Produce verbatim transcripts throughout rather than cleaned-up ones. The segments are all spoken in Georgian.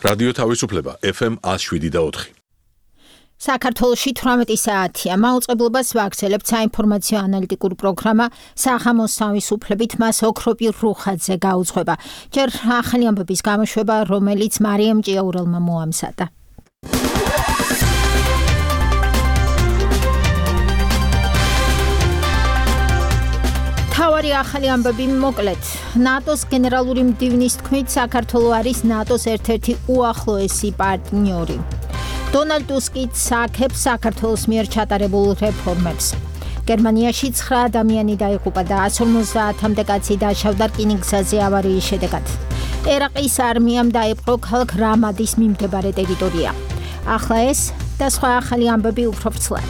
რადიო თავისუფლება ეფ ემ ათს შვიდი და ოთხი. საქართველოში თვრამეტი საათია. მაუწყებლობას ვაგრძელებთ საინფორმაციო ანალიტიკური პროგრამა „საღამოს თავისუფლებით“ მას ოქროპი რუხაძე გაუძღვება. ჯერ ახალი ამბების გამოშვება, რომელიც მარიამ ჭიაურელმა მოამზადა. თავარი ახალი ამბები მოკლედ. ნატოს გენერალური მდივნის თქმით, საქართველო არის ნატოს ერთ-ერთი უახლოესი პარტნიორი. დონალდ ტუსკი წაქებს საქართველოს მიერ ჩატარებულ რეფორმებს. გერმანიაში ცხრა ადამიანი დაიღუპა და εκατს ორმოცდაათამდე კაცი დაშავდა რკინიგზაზე ავარიის შედეგად. ერაყის არმიამ დაიპყრო ქალაქ რამადის მიმდებარე ტერიტორია. ახლა ეს და სხვა ახალი ამბები უფრო ვრცლად.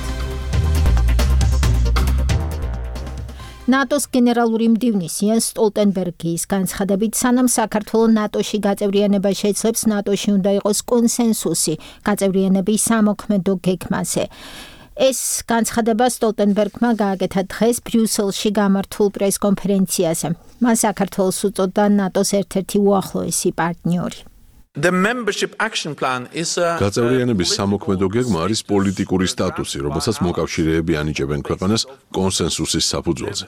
ნატოს გენერალური მდივნის იენს სტოლტენბერგის განცხადებით, სანამ საქართველო ნატოში გაწევრიანება შეძლებს, ნატოში უნდა იყოს კონსენსუსი გაწევრიანების სამოქმედო გეგმაზე. ეს განცხადება სტოლტენბერგმა გააკეთა დღეს ბრიუსელში გამართულ პრესკონფერენციაზე. მან საქართველოს უწოდა ნატოს ერთ-ერთი უახლოესი პარტნიორი. The membership action plan is a გაწევრიანების სამოქმედო გეგმა არის პოლიტიკური სტატუსი, რომელსაც მოკავშირეები ანიჭებენ ქვეყანას კონსენსუსის საფუძველზე.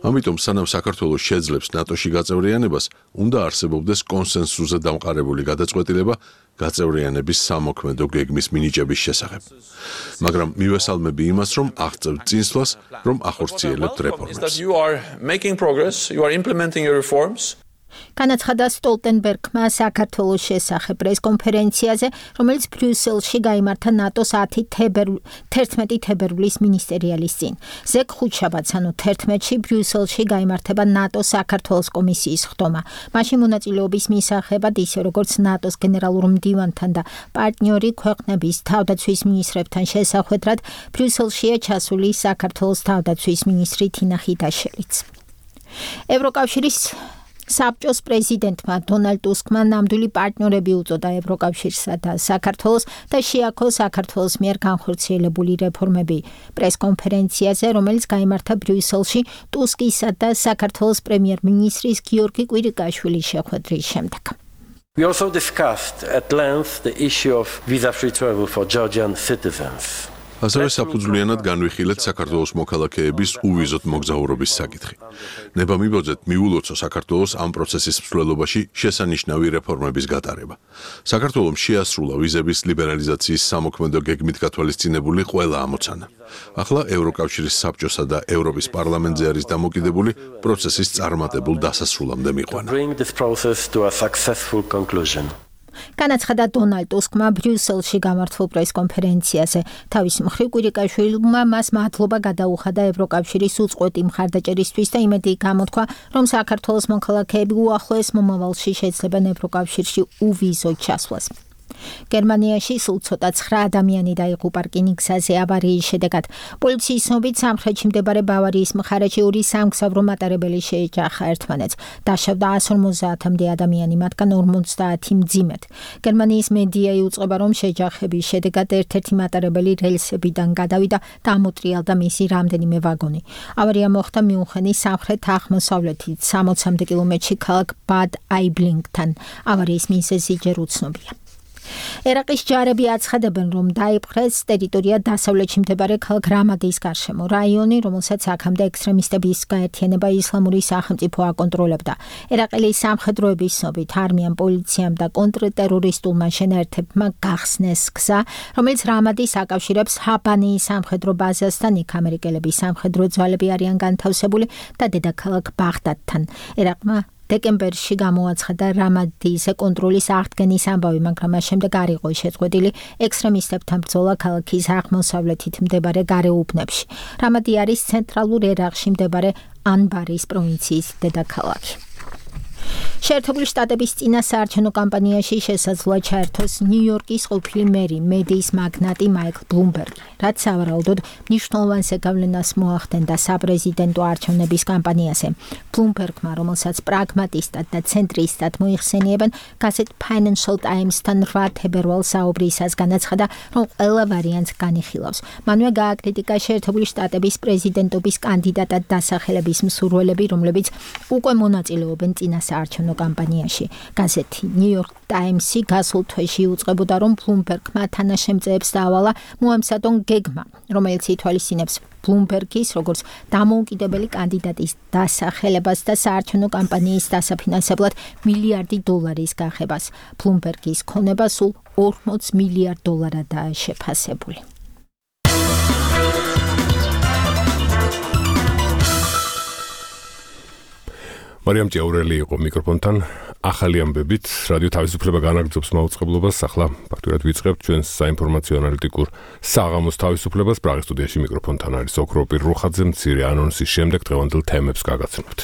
ამიტომ სანამ საქართველოს შეძლებს ნატოში გაწევრიანებას, უნდა არსებობდეს კონსენსუსზე დამყარებული გადაწყვეტილება გაწევრიანების სამოქმედო გეგმის მინიჭების შესახებ. მაგრამ მივესალმები იმას, რომ აღწევთ წინსვლას, რომ ახორციელებთ რეფორმებს. You are making progress, you are implementing your reforms. განაცხადა სტოლტენბერგმა საქართველოს შესახებ პრესკონფერენციაზე, რომელიც ბრიუსელში გაიმართა ნატოს თერთმეტი თებერვლის მინისტერიალის წინ. ზეგ ხუთშაბათს, ანუ თერთმეტში ბრიუსელში გაიმართება ნატოს საქართველოს კომისიის ხდომა. მაშინ მონაწილეობის მისაღებად, ისე როგორც ნატოს გენერალურ მდივანთან და პარტნიორი ქვეყნების თავდაცვის მინისტრებთან შესახვედრად, ბრიუსელშია ჩასული საქართველოს თავდაცვის მინისტრი თინა ხიტაშელიც. ევროკავშირის საბჭოს პრეზიდენტმა დონალდ ტუსკმა ნამდვილი პარტნიორები უწოდა ევროკავშირსა და საქართველოს და შეაქო საქართველოს მიერ განხორციელებული რეფორმები პრესკონფერენციაზე, რომელიც გაიმართა ბრიუსელში ტუსკისა და საქართველოს პრემიერ-მინისტრის გიორგი კვირიკაშვილის შეხვედრის შემდეგ. We also discussed at length the issue of visa-free travel for Georgian citizens. ასევე საფუძვლიანად განვიხილეთ საქართველოს მოქალაქეების უვიზოთ მოგზაურობის საკითხი. ნება მიბოძეთ მიულოცო საქართველოს ამ პროცესის მსვლელობაში შესანიშნავი რეფორმების გატარება. საქართველოს შეასრულა ვიზების ლიბერალიზაციის სამოქმედო გეგმით გათვალისწინებული ყველა ამოცანა. ახლა ევროკავშირის საბჭოსა და ევროპის პარლამენტზე არის დამოკიდებული პროცესის წარმატებულ დასასრულამდე მიყვანა. განაცხადა დონალდ ტუსკმა ბრიუსელში გამართულ პრესკონფერენციაზე. თავის მხრივ კვირიკაშვილმა მას მადლობა გადაუხადა ევროკავშირის უწყვეტი მხარდაჭერისთვის და იმედი გამოთქვა, რომ საქართველოს მოქალაქეები უახლოეს მომავალში შეძლებენ ევროკავშირში უვიზოთ ჩასვლას. გერმანიაში სულ ცოტა ცხრა ადამიანი დაიღუპა რკინიგზაზე ავარიის შედეგად. პოლიციის ცნობით სამხრეთში მდებარე ბავარიის მხარეში ორი სამგზავრო მატარებელი შეეჯახა ერთმანეთს. დაშავდა εκατს ორმოცდაათამდე ადამიანი, მათგან ორმოცდაათი მძიმედ. გერმანიის მედია იუწყება, რომ შეჯახების შედეგად ერთ-ერთი მატარებელი რელსებიდან გადავიდა და ამოტრიალდა მისი რამდენიმე ვაგონი. ავარია მოხდა მიუნხენის სამხრეთ-აღმოსავლეთით სამოცამდე კილომეტრში ქალაქ ბად აიბლინგთან. ავარიის მიზეზი ჯერ უცნობია. ერაყის ჯარები აცხადებენ, რომ დაიპყრეს ტერიტორია დასავლეთში მდებარე ქალაქ რამადის გარშემო. რაიონი, რომელსაც აქამდე ექსტრემისტების გაერთიანება ისლამური სახელმწიფო აკონტროლებდა. ერაყელი სამხედროების ცნობით, არმიამ, პოლიციამ და კონტრტერორისტულმა შენაერთებმა გახსნეს გზა, რომელიც რამადის აკავშირებს ჰაბანიის სამხედრო ბაზასთან. იქ ამერიკელების სამხედრო ძალები არიან განთავსებული და დედაქალაქ ბაღდადთან. ერაყმა დეკემბერში გამოაცხადა რამადის კონტროლის აღდგენის ამბავი, მაგრამ მას შემდეგ არ იყო შეწყვეტილი ექსტრემისტებთან ბრძოლა ქალაქის აღმოსავლეთით მდებარე გარეუბნებში. რამადი არის ცენტრალურ ერაყში მდებარე ანბარის პროვინციის დედაქალაქი. შეერთებული შტატების წინასაარჩევნო კამპანიაში შესაძლოა ჩაერთოს ნიუ-იორკის ყოფილი მერი, მედიის მაგნატი მაიკლ ბლუმბერგი, რაც სავარაუდოდ მნიშვნელოვან ზეგავლენას მოახდენდა საპრეზიდენტო არჩევნების კამპანიაზე. ბლუმბერგმა, რომელსაც პრაგმატისტად და ცენტრისტად მოიხსენიებენ, გაზეთ Financial Times-თან რვა თებერვალს საუბრისას განაცხადა, რომ ყველა ვარიანტს განიხილავს. მანვე გააკრიტიკა შეერთებული შტატების პრეზიდენტობის კანდიდატად დასახელების მსურველები, რომლებიც უკვე მონაწილეობენ წინასაარჩევნო კამპანიაში. გაზეთი New York Times-ი გასულ თვეში უწყებოდა, რომ ბლუმბერგმა თანაშემწეებს დაავალა მოამსადონ გეგმა, რომელიც ითვალისწინებს ბლუმბერგის როგორც დამოუკიდებელი კანდიდატის დასახელებას და საარჩევნო კამპანიის დასაფინანსებლად მილიარდი დოლარის გახებას. ბლუმბერგის ქონება სულ ორმოც მილიარდ დოლარადაა შეფასებული. მარიამ ჭიაურელი იყო მიკროფონთან. ახალი ამბებით რადიო თავისუფლება განაგრძობს მაუწყებლობას. ახლა ფაქტურად ვიწყებთ ჩვენს საინფორმაციო ანალიტიკურ საღამოს თავისუფლებას. პრაღის სტუდიაში მიკროფონთან არის ოქროპირ რუხაძე. მცირე ანონსის შემდეგ დღევანდელ თემებს გაგაცნობთ.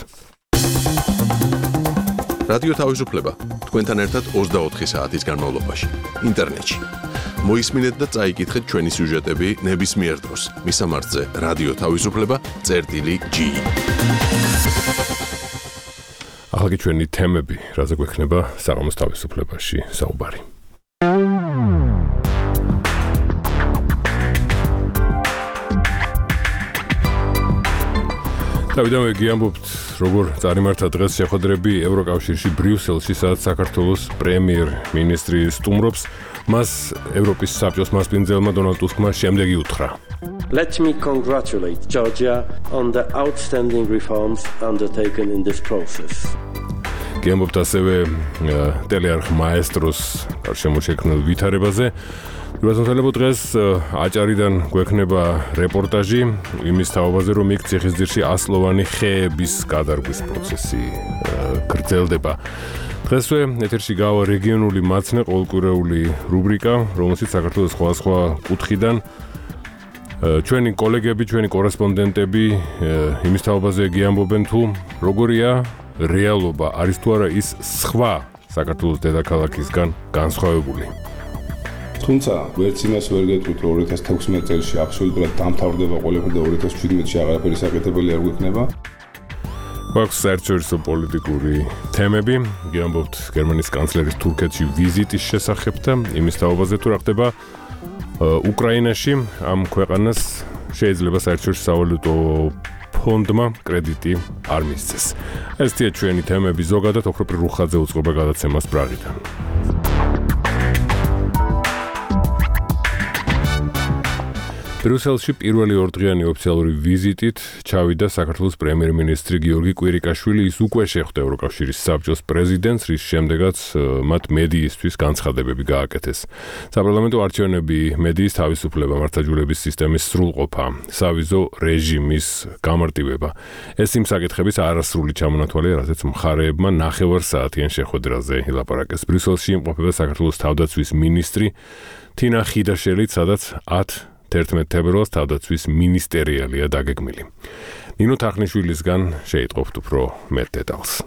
რადიო თავისუფლება თქვენთან ერთად ოცდაოთხი საათის განმავლობაში ინტერნეტში. მოისმინეთ და წაიკითხეთ ჩვენი სიუჟეტები ნებისმიერ დროს. მისამართზე რადიო თავისუფლება წერტილი ჯი. ახლა კი ჩვენი თემები, რაზე გვექნება საღამოს თავისუფლებაში საუბარი. დავიდანვე გიამბობთ, როგორ წარიმართა დღეს შეხვედრები ევროკავშირში ბრიუსელში, სადაც საქართველოს პრემიერ-მინისტრი სტუმრობს. მას ევროპის საბჭოს მასპინძელმა დონალდ ტუსკმა შემდეგი უთხრა. Let me congratulate Georgia on the outstanding reforms undertaken in this process. გიამბობთ ასევე ტელეარხ მაესტროს გარშემოშექმნილ ვითარებაზე. რასამთავრებო დღეს აჭარიდან გვექნება რეპორტაჟი იმის თაობაზე, რომ იქ ციხისძირში ასლოვანი ხეების გადარგვის პროცესი გრძელდება. დღესვე ეთერში გავა რეგიონული მაცნე ყოველკვირეული რუბრიკა, რომელშიც საქართველოს სხვადასხვა კუთხიდან ჩვენი კოლეგები, ჩვენი კორესპონდენტები იმის თაობაზე გიამბობენ, თუ როგორია რეალობა, არის თუ არა ის სხვა საქართველოს დედაქალაქისგან განსხვავებული. თუმცა ვერც იმას ვერ გეტყვით, რომ ორი ათას თექვსმეტ წელს აბსოლუტურად დამთავრდება ყველაფერი და ორი ათას შვიდმეტში აღარაფერი საკეთებელი არ გვექნება. გვაქვს საერთაშორისო პოლიტიკური თემები, გიამბობთ გერმანიის კანცლერის თურქეთში ვიზიტის შესახებ და იმის თაობაზე, თუ რა ხდება უკრაინაში. ამ ქვეყანას შეიძლება საერთაშორისო სავალუტო ფონდმა კრედიტი არ მისცეს. ესეთი ჩვენი თემები ზოგადად ოქროპირ რუხაძე უწყობა გადაცემას პრაღიდან. ბრიუსელში პირველი ორდღიანი ოფიციალური ვიზიტით ჩავიდა საქართველოს პრემიერ-მინისტრი გიორგი კვირიკაშვილი. ის უკვე შეხვდა ევროკავშირის საბჭოს პრეზიდენტს, რის შემდეგაც მათ მედიისთვის განცხადებები გააკეთეს. საპარლამენტო არჩევნები, მედიის თავისუფლება, მართლმსაჯულების სისტემის სრულყოფა, სავიზო რეჟიმის გამარტივება. ეს იმ საკითხების არასრული ჩამონათვალია, რაზეც მხარეებმა ნახევარსაათიან შეხვედრაზე ილაპარაკეს. ბრიუსელში იმყოფება საქართველოს თავდაცვის მინისტრი თინა ხიდაშელი, სადაც ათ თერთმეტ თებერვალს თავდაცვის მინისტერიალია დაგეგმილი. ნინო თახნიშვილისგან შეიტყობთ უფრო მეტ დეტალს.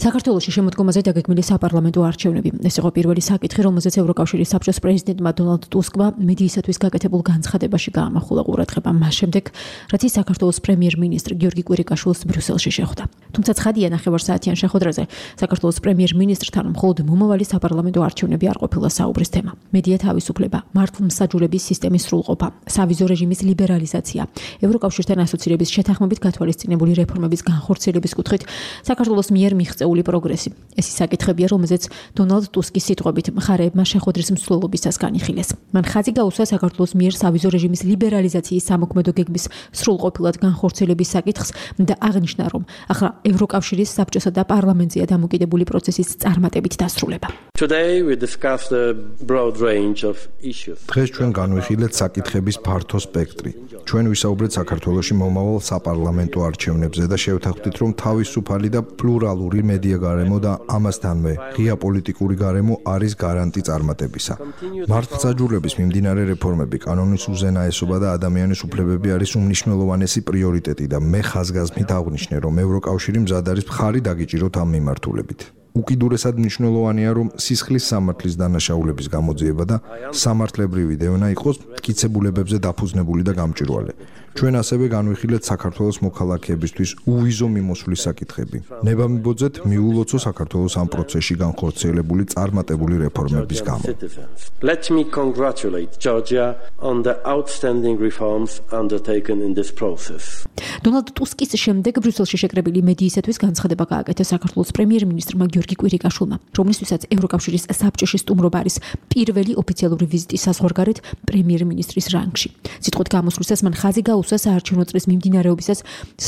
საქართველოში შემოდგომაზე დაგეგმილი საპარლამენტო არჩევნები. ეს იყო პირველი საკითხი, რომელზეც ევროკავშირის საბჭოს პრეზიდენტმა დონალდ ტუსკმა მედიისათვის გაკეთებულ განცხადებაში გაამახვილა ყურადღება მას შემდეგ, რაც ის საქართველოს პრემიერ-მინისტრ გიორგი კვირიკაშვილს ბრიუსელში შეხვდა. თუმცა ცხადია, ნახევარსაათიან შეხვედრაზე საქართველოს პრემიერ-მინისტრთან მხოლოდ მომავალი საპარლამენტო არჩევნები არ ყოფილა საუბრის თემა. მედია თავისუფლება, მართლმსაჯულების სისტემის სრულყოფა, სავიზო რეჟიმის ლიბერალიზაცია, ევროკავშირთან ასოცირების შეთანხმებით გათვალისწინებული რეფორმების განხორციელების კუთხით საქართველოს მიერ მიღწეულ პროგრესი. ეს ის საკითხებია, რომელზეც დონალდ ტუსკის სიტყვებით მხარეებმა შეხვედრის მსვლელობისას განიხილეს. მან ხაზი გაუსვა საქართველოს მიერ სავიზო რეჟიმის ლიბერალიზაციის სამოქმედო გეგმის სრულყოფილად განხორციელების საკითხს და აღნიშნა, რომ ახლა ევროკავშირის საბჭოსა და პარლამენტზეა დამოკიდებული პროცესის წარმატებით დასრულება. Today we discussed a broad range of issues. დღეს ჩვენ განვიხილეთ საკითხების ფართო სპექტრი. ჩვენ ვისაუბრეთ საქართველოში მომავალ საპარლამენტო არჩევნებზე და შევთანხმდით, რომ თავისუფალი და პლურალური მედია გარემო და ამასთანვე ღია პოლიტიკური გარემო არის გარანტი წარმატებისა. მართლმსაჯულების მიმდინარე რეფორმები, კანონის უზენაესობა და ადამიანის უფლებები არის უმნიშვნელოვანესი პრიორიტეტი და მე ხაზგასმით აღვნიშნე, რომ ევროკავშირი მზად არის მხარი დაგიჭიროთ ამ მიმართულებით. უკიდურესად მნიშვნელოვანია, რომ სისხლის სამართლის დანაშაულების გამოძიება და სამართლებრივი დევნა იყოს მტკიცებულებებზე დაფუძნებული და გამჭვირვალე. ჩვენ ასევე განვიხილეთ საქართველოს მოქალაქეებისთვის უვიზო მიმოსვლის საკითხები. ნება მიბოძეთ მიულოცო საქართველოს ამ პროცესში განხორციელებული წარმატებული რეფორმების გამო. Let me congratulate Georgia on the outstanding reforms undertaken in this process. დონალდ ტუსკის შემდეგ ბრიუსელში შეკრებილი მედიისათვის განცხადება გააკეთა საქართველოს პრემიერ-მინისტრმა გიორგი კვირიკაშვილმა, რომლისთვისაც ევროკავშირის საბჭოში სტუმრობა არის პირველი ოფიციალური ვიზიტი საზღვარგარეთ პრემიერ-მინისტრის რანგში. სიტყვით გამოსვლისას მან ხაზი გაუსვა საარჩევნო წრის მიმდინარეობისას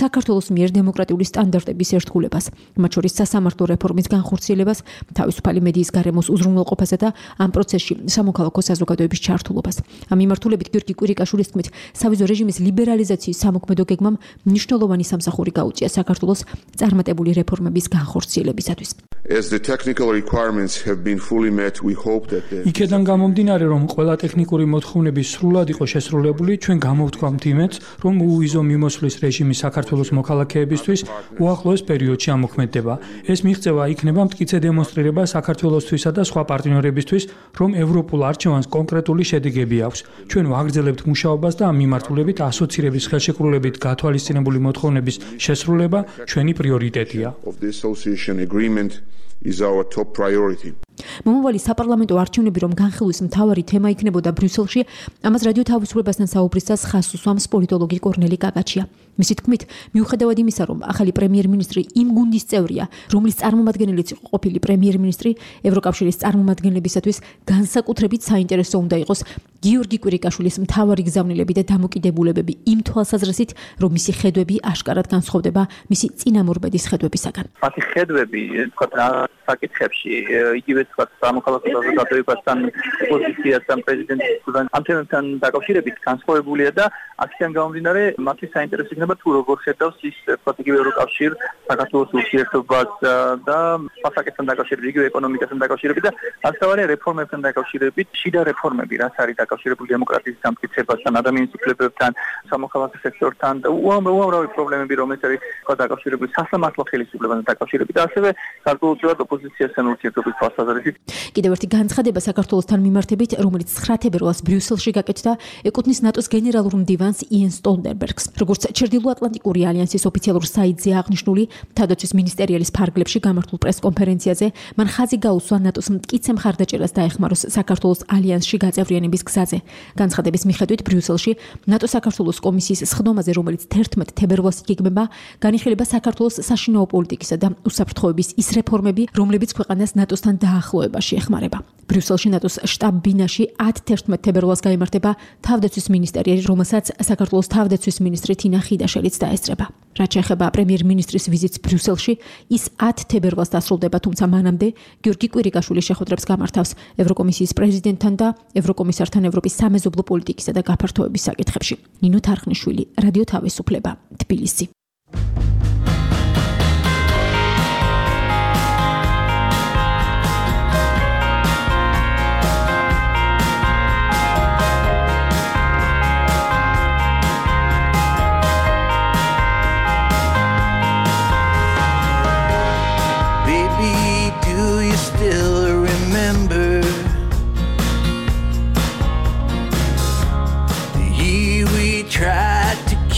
საქართველოს მიერ დემოკრატიული სტანდარტების ერთგულებას, მათ შორის სასამართლო რეფორმის განხორციელებას, თავისუფალი მედიის გარემოს უზრუნველყოფასა და ამ პროცესში სამოქალაქო საზოგადოების ჩართულობას. ამ მიმართულებით გიორგი კვირიკაშვილის თქმით, სავიზო რეჟიმის ლიბერალიზაციის სამოქმედო გეგმამ მნიშვნელოვანი სამსახური გაუწია საქართველოს წარმატებული რეფორმების განხორციელებისათვის. As the technical requirements have been fully met, we hope that the... იქედან გამომდინარე, რომ ყველა ტექნიკური მოთხოვნები სრულად იყო შესრულებული, ჩვენ გამოვთქვამთ იმედს, რომ უვიზო მიმოსვლის რეჟიმი საქართველოს მოქალაქეებისთვის უახლოეს პერიოდში ამოქმედდება. ეს მიღწევა იქნება მტკიცე დემონსტრირება საქართველოსთვისა და სხვა პარტნიორებისთვის, რომ ევროპულ არჩევანს კონკრეტული შედეგები აქვს. ჩვენ ვაგრძელებთ მუშაობას და ამ მიმართულებით ასოცირების ხელშეკრულებით გათვალისწინებული მოთხოვნების შესრულება ჩვენი პრიორიტეტია. is our top priority. მომავალი საპარლამენტო არჩევნები რომ განხილვის მთავარი თემა იქნებოდა ბრიუსელში, ამას რადიო თავისუფლებასთან საუბრისას ხაზს უსვამს პოლიტოლოგი კორნელი კაკაჩია. მისი თქმით, მიუხედავად იმისა, რომ ახალი პრემიერ-მინისტრი იმ გუნდის წევრია, რომლის წარმომადგენელიც იყო ყოფილი პრემიერ-მინისტრი, ევროკავშირის წარმომადგენლებისათვის განსაკუთრებით საინტერესო უნდა იყოს გიორგი კვირიკაშვილის მთავარი გზავნილები და დამოკიდებულებები იმ თვალსაზრისით, რომ მისი ხედვები აშკარად განსხვავდება მისი წინამორბედის ხედვებისაგან. მათი ხედვები, თქვა, საკითხებში იგივე თქვა სამოქალაქო საზოგადოებასთან, ოპოზიციასთან, პრეზიდენტთან, ამ თემებთან დაკავშირებით განსხვავებულია და აქედან გამომდინარე, მათი საინტერესო იქნება თუ როგორ ხედავს ის თქვა იგივე ევროკავშირ საქართველოს ურთიერთობას და სასაკეთთან დაკავშირებით, იგივე ეკონომიკასთან დაკავშირებით და ასთავარი რეფორმებთან დაკავშირებით, შიდა რეფორმები, რაც არის დაკავშირებული დემოკრატიის დამტკიცებასთან, ადამიანის უფლებებთან, სამოქალაქო სექტორთან და უამრავი პრობლემები, რომელიც არის თქვა დაკავშირებული სასამართლო ხელისუფლებასთან დაკავშირებით და ასევე გარკვეულწილად ოპოზიციასთან ურთიერთობის თვალსაზრისით. კიდევ ერთი განცხადება საქართველოსთან მიმართებით, რომელიც ცხრა თებერვალს ბრიუსელში გაკეთდა, ეკუთვნის ნატოს გენერალურ მდივანს იენ სტოლტენბერგს. როგორც ჩრდილოატლანტიკური ალიანსის ოფიციალურ საიტზე აღნიშნული, თავდაცვის მინისტერიალის ფარგლებში გამართულ პრესკონფერენციაზე მან ხაზი გაუსვა ნატოს მტკიცე მხარდაჭერას დაეხმაროს საქართველოს ალიანსში გაწევრიანების გზაზე. განცხადების მიხედვით ბრიუსელში ნატო საქართველოს კომისიის სხდომაზე, რომელიც თერთმეტ თებერვალს იგეგმება, განიხილება საქართველოს საშინაო პოლიტიკისა და უსაფრთხოების ის რეფორმები, რომლებიც ქვეყანას ნატოსთან დაახლოებაში ეხმარება. ბრიუსელში ნატოს შტაბ-ბინაში ათი თებერვალს გაიმართება თავდაცვის მინისტერიალი, რომელსაც საქართველოს თავდაცვის მინისტრი თინა ხიდაშელიც დაესწრება. რაც შეეხება პრემიერ-მინისტრის ვიზიტს ბრიუსელში, ის ათი თებერვალს დასრულდება, თუმცა მანამდე გიორგი კვირიკაშვილი შეხვედრებს გამართავს ევროკომისიის პრეზიდენტთან და ევროკომისართან ევროპის სამეზობლო პოლიტიკისა და გაფართოების საკითხებში. ნინო თარხნიშვილი, რადიო თავისუფლება, თბილისი.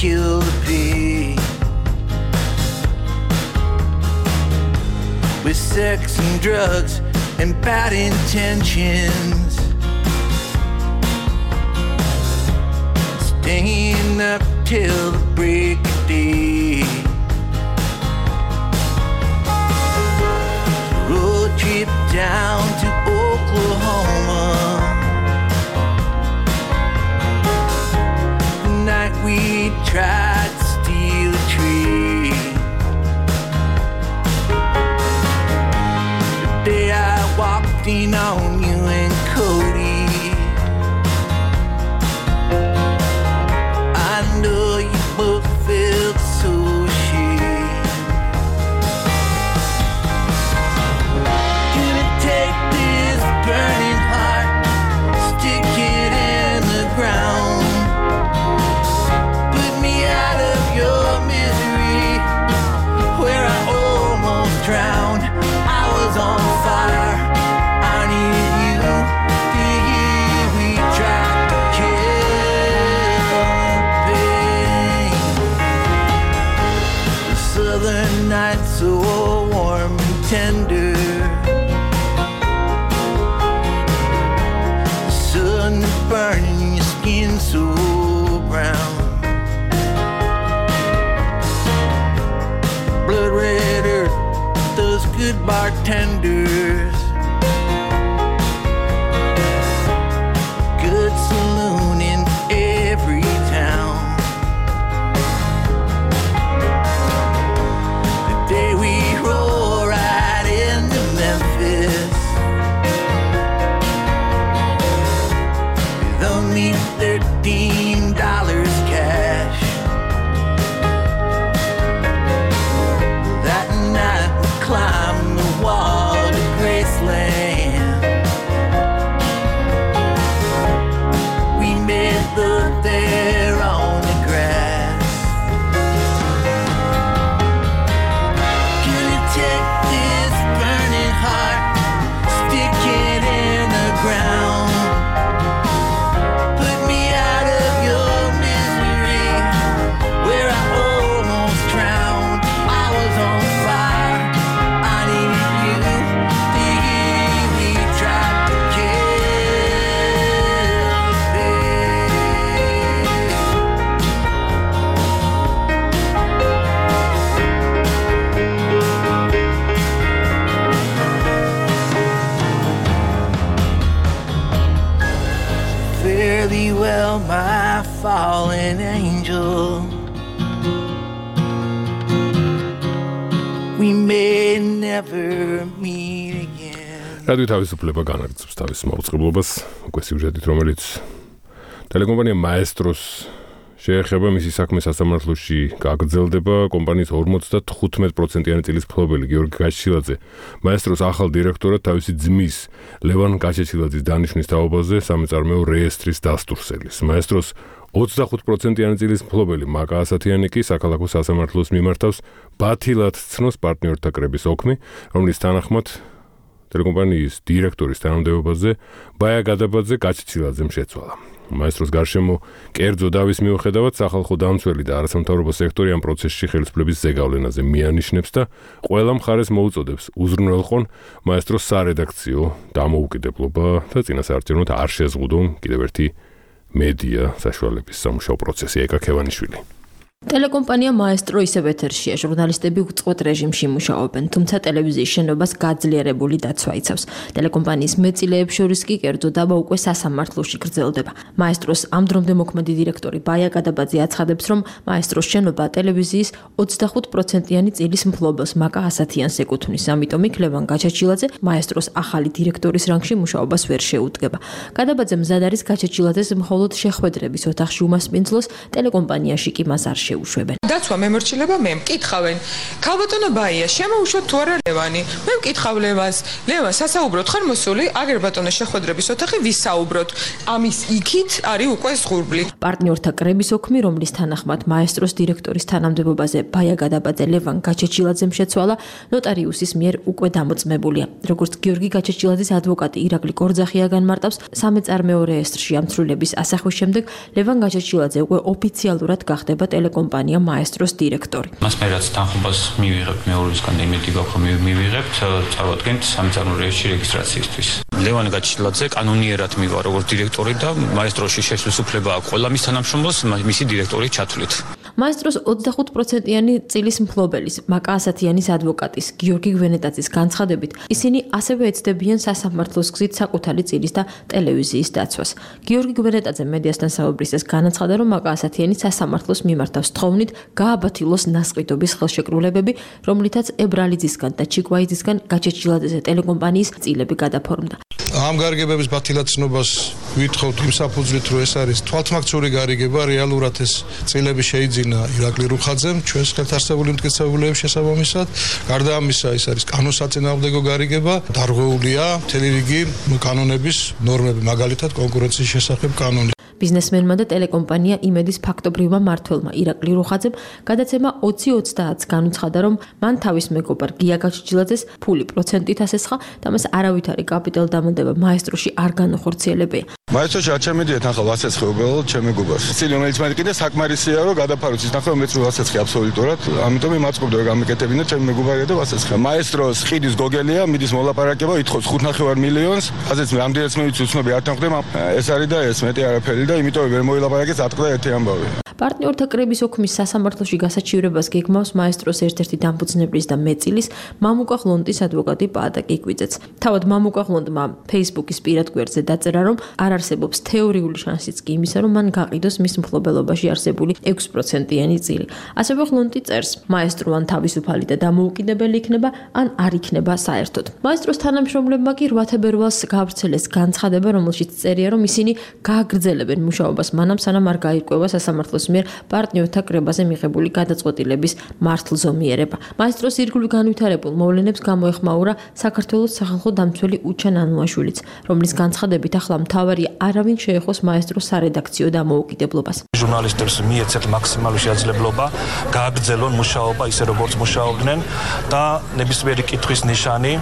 Kill the pig with sex and drugs and bad intentions, staying up till the break of day. Road trip down to Oklahoma. Night we tried to steal a tree. The day I walked in on you and Cody, I know you both felt night so warm and tender. The sun is burning your skin so brown. Blood red earth, those good bartenders. Good saloon in every town. The day we roll right into Memphis with only thirteen dollars cash. That night we climbed the wall to Graceland. We made love there on the grass. Can you take this burning heart, stick it in the ground? Put me out of your misery, where I almost drowned. I was on fire, I needed you to hear me try to kill me. Fare thee well, my fallen angel. We may never meet again. რადიო თავისუფლება განაგრძობს თავის მაუწყებლობას, უკვე სიუჟეტით, რომელიც ტელეკომპანია მაესტროს შეეხება, მისი საქმე სასამართლოში გაგრძელდება. კომპანიის ორმოცდათხუთმეტ პროცენტიანი წილის მფლობელი გიორგი გაჩეჩილაძე მაესტროს ახალ დირექტორად თავისი ძმის ლევან გაჩეჩილაძის დანიშვნის თაობაზე სამეწარმეო რეესტრის დასტურს ელის. მაესტროს ოცდახუთ პროცენტიანი წილის მფლობელი მაკა ასათიანი კი საქალაქო სასამართლოს მიმართავს ბათილად ცნოს პარტნიორთა კრების ოქმი, რომლის თანახმად ტელეკომპანიის დირექტორის თანამდებობაზე ბაია გადაბაძე გაჩეჩილაძემ შეცვალა. მაესტროს გარშემო კერძო დავის მიუხედავად სახალხო დამცველი და არასამთავრობო სექტორი ამ პროცესში ხელისუფლების ზეგავლენაზე მიანიშნებს და ყველა მხარეს მოუწოდებს უზრუნველყონ მაესტროს სარედაქციო დამოუკიდებლობა და წინასაარჩევნოდ არ შეზღუდონ კიდევ ერთი მედია საშუალების სამუშაო პროცესი. ეკა ქევანიშვილი. ტელეკომპანია მაესტრო ისევ ეთერშია, ჟურნალისტები უწყვეტ რეჟიმში მუშაობენ, თუმცა ტელევიზიის შენობას გაძლიერებული დაცვა იცავს. ტელეკომპანიის მეტწილეებს შორის კი კერძო დაბა უკვე სასამართლოში გრძელდება. მაესტროს ამ დრომდე მოქმედი დირექტორი ბაია გადაბაძე აცხადებს, რომ მაესტროს შენობა ტელევიზიის ოცდახუთ პროცენტიანი წილის მფლობელს მაკა ასათიანს ეკუთვნის, ამიტომ იქ ლევან გაჩეჩილაძე მაესტროს ახალი დირექტორის რანგში მუშაობას ვერ შეუდგება. გადაბაძე მზად არის გაჩეჩილაძეს მხოლოდ შეხვედრების ოთახში უმასპინძლოს, ტელეკომპანიაში კი მას არ შეუშვებენ. დაცვა მემორჩილება მე მკითხავენ. ქალბატონო ბაია, შემოუშვათ თუ არა ლევანი? მე მკითხავ ლევანს. ლევან, სასაუბროთ ხარ მოსული? აგერ ბატონო შეხვედრების ოთახი ვისაუბროთ. ამის იქით არის უკვე ზღურბლი. პარტნიორთა კრების ოქმი, რომლის თანახმად მაესტროს დირექტორის თანამდებობაზე ბაია გადაბაძე ლევან გაჩეჩილაძემ შეცვალა, ნოტარიუსის მიერ უკვე დამოწმებულია. როგორც გიორგი გაჩეჩილაძის ადვოკატი ირაკლი კორძახია განმარტავს, სამეწარმეო რეესტრში ამცრულების ასახვის შემდეგ ლევან გაჩეჩილაძე უკვე ოფიციალურად გახდება ტელეკომპანია მაესტროს დირექტორი. მას მე რაც თანხმობას მივიღებთ მეორისგან იმედი გაქვს რომ მივიღებთ, წავადგენთ სამეწარმეო რეესტრში რეგისტრაციისთვის. ლევან გაჩეჩილაძე კანონიერად მივა როგორც დირექტორი და მაესტროში შესვლის უფლება აქვს ყველა მის თანამშრომლოს მისი დირექტორის ჩათვლით. მაესტროს ოცდახუთ პროცენტიანი წილის მფლობელის მაკა ასათიანის ადვოკატის გიორგი გვენეტაძის განცხადებით, ისინი ასევე ეცდებიან სასამართლოს გზით საკუთარი წილის და ტელევიზიის დაცვას. გიორგი გვენეტაძე მედიასთან საუბრისას განაცხადა, რომ მაკა ასათიანი სასამართლოს მიმართავს თხოვნით გააბათილოს ნასყიდობის ხელშეკრულებები, რომლითაც ებრალიძისგან და ჩიკვაიძისგან გაჩეჩილაძეზე ტელეკომპანიის წილები გადაფორმდა. ამ გარიგებების ბათილაცნობას ვითხოვთ იმ საფუძვლით, რომ ეს არის თვალთმაქციური გარიგება, რეალურად ეს წილები შეიძინა ირაკლი რუხაძემ ჩვენს ხელთარსებული მტკიცებულების შესაბამისად. გარდა ამისა, ეს არის კანონსაწინააღმდეგო გარიგება, დარღვეულია მთელი რიგი კანონების ნორმები, მაგალითად კონკურენციის შესახებ კანონი. ბიზნესმენმა და ტელეკომპანია იმედის ფაქტობრივმა მმართველმა ირაკლი რუხაძემ გადაცემა ოცი ოცდაათს განუცხადა, რომ მან თავის მეგობარ გია გაჩეჩილაძეს ფული პროცენტით ასესხა და მას არავითარი კაპიტალ დამატება მაესტროში არ განუხორციელებია. მაესტროში არ ჩამედიეთ ახლა ვასეცხე უბრალოდ ჩემი გუბას. წილი რომელიც მე კიდე საკმარისია რომ გადაფაროთ ის ნახე მეც რო ვასეცხე აბსოლუტურად. ამიტომ იმაწყობდი რომ გამიკეთებინა ჩემი მეგობარია და ვასეცხე. მაესტროს ხიდის გოგელია, მიდის მოლაპარაკება, ითხოვს ხუთ ნახევარ მილიონს. ასეც მე ამდენიც მე ვიცი უცნობი არ თანხდება. ეს არის და ეს მეტი არაფერი და იმიტომ ვერ მოილაპარაკეს ატყდა ერთი ამბავი. პარტნიორთა კრების ოქმის სასამართლოში გასაჩივრებას გეგმავს მაესტროს ერთ-ერთი დამფუძნებლის და მეწილის მამუკა ხლონტის ადვოკატი პაატა კიკვიძეც. თავად მამუკა ხლონტმა Facebook-ის პირად გვერდზე დაწერა, რომ არ არსებობს თეორიული შანსიც კი იმისა, რომ მან გაყიდოს მის მფლობელობაში არსებული ექვს პროცენტიანი წილი. ასევე ხლონტი წერს, მაესტრო ან თავისუფალი და დამოუკიდებელი იქნება, ან არ იქნება საერთოდ. მაესტროს თანამშრომლებმა კი რვა თებერვალს გაავრცელეს განცხადება, რომელშიც წერია, რომ ისინი გააგრძელებენ მუშაობას მანამ, სანამ არ გაირკვევა სასამართლოს მიერ პარტნიორთა კრებაზე მიღებული გადაწყვეტილების მართლზომიერება. მაესტროს ირგვლივ განვითარებულ მოვლენებს გამოეხმაურა საქართველოს სახალხო დამცველი უჩან ანუაშვილიც, რომლის განცხადებით ახლა მთავარია არავინ შეეხოს მაესტროს სარედაქციო დამოუკიდებლობას. ჟურნალისტებს მიეცეთ მაქსიმალური შესაძლებლობა გააგრძელონ მუშაობა ისე როგორც მუშაობდნენ და ნებისმიერი კითხვის ნიშანი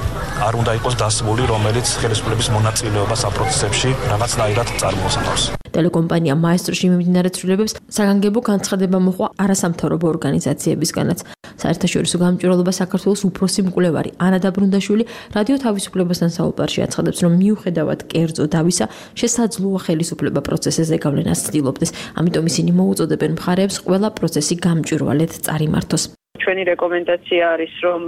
არ უნდა იყოს დასმული, რომელიც ხელისუფლების მონაწილეობას ამ პროცესებში რაღაცნაირად წარმოსახავს. ტელეკომპანია მაესტროში მიმდინარე ცვლილებებს საგანგებო განცხადება მოჰყვა არასამთავრობო ორგანიზაციებისგანაც. საერთაშორისო გამჭვირვალობა საქართველოს უფროსი მკვლევარი ანა დაბრუნდაშვილი რადიო თავისუფლებასთან საუბარში აცხადებს, რომ მიუხედავად კერძო დავისა, შესაძლოა ხელისუფლება პროცესზე გავლენას ცდილობდეს. ამიტომ ისინი მოუწოდებენ მხარეებს ყველა პროცესი გამჭვირვალედ წარიმართოს. ჩვენი რეკომენდაცია არის, რომ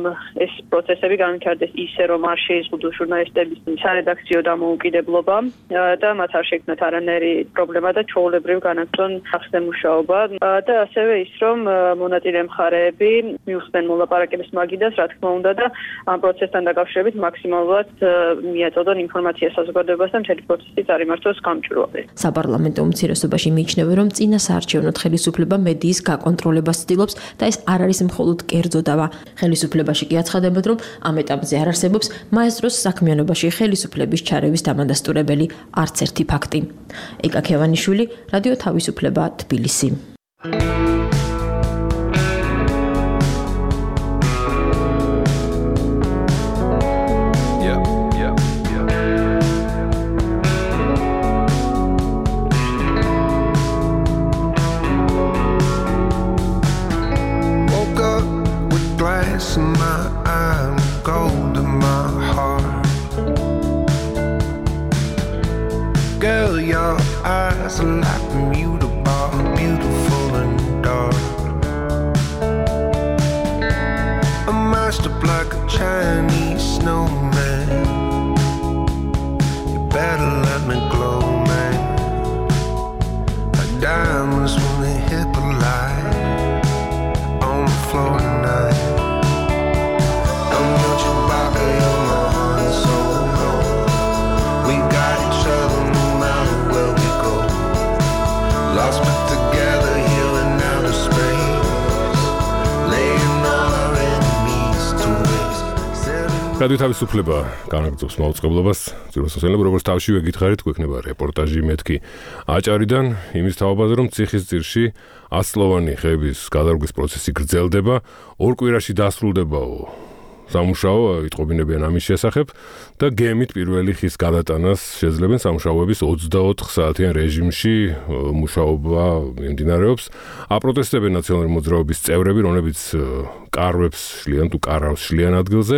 ეს პროცესები განვითარდეს ისე, რომ არ შეიზღუდოს ჟურნალისტების სარედაქციო დამოუკიდებლობა და მათ არ შექმნათ არანაირი პრობლემა და ჩვეულებრივ განაგრძონ სახსნე მუშაობა და ასევე ის, რომ მონაწილე მხარეები მიუხდნენ მოლაპარაკების მაგიდას, რა თქმა უნდა და ამ პროცესთან დაკავშირებით მაქსიმალურად მიაწოდონ ინფორმაცია საზოგადოებას და მთელი პროცესი წარიმართოს გამჭვირვალედ. საპარლამენტო უმცირესობაში მიიჩნევა, რომ წინა საარჩევნო ხელისუფლება მედიის გაკონტროლებას ცდილობს და ეს არ არის მხოლოდ კერძო დავა. ხელისუფლებაში კი აცხადებენ, რომ ამ ეტაპზე არ არსებობს მაესტროს საქმიანობაში ხელისუფლების ჩარევის დამადასტურებელი არც ერთი ფაქტი. ეკა ქევანიშვილი, რადიო თავისუფლება, თბილისი. Girl, your eyes are like mutable, beautiful and dark. A master like a Chinese snowman. You better let me glow, man. Like diamonds when they hit the light on the floor tonight. I'm not your body, you're my heart and soul. We got each other. Lost but together here in outer space, laying all our enemies to waste. რადიო თავისუფლება განაგრძობს მაუწყებლობას. ძიროსოსელებ როგორც თავშივე გითხარით, გვექნება რეპორტაჟი მეთქი აჭარიდან იმის თაობაზე, რომ ციხისძირში ათწლოვანი ხეების გადარგვის პროცესი გრძელდება, ორ კვირაში დასრულდებაო. სამუშაო იტყობინებიან ამის შესახებ და გემით პირველი ხის გადატანას შეძლებენ სამუშაოების ოცდაოთხ საათიან რეჟიმში მუშაობა მიმდინარეობს. აპროტესტებენ ნაციონალური მოძრაობის წევრები, რომლებიც კარვებს შლიან თუ კარავს შლიან ადგილზე.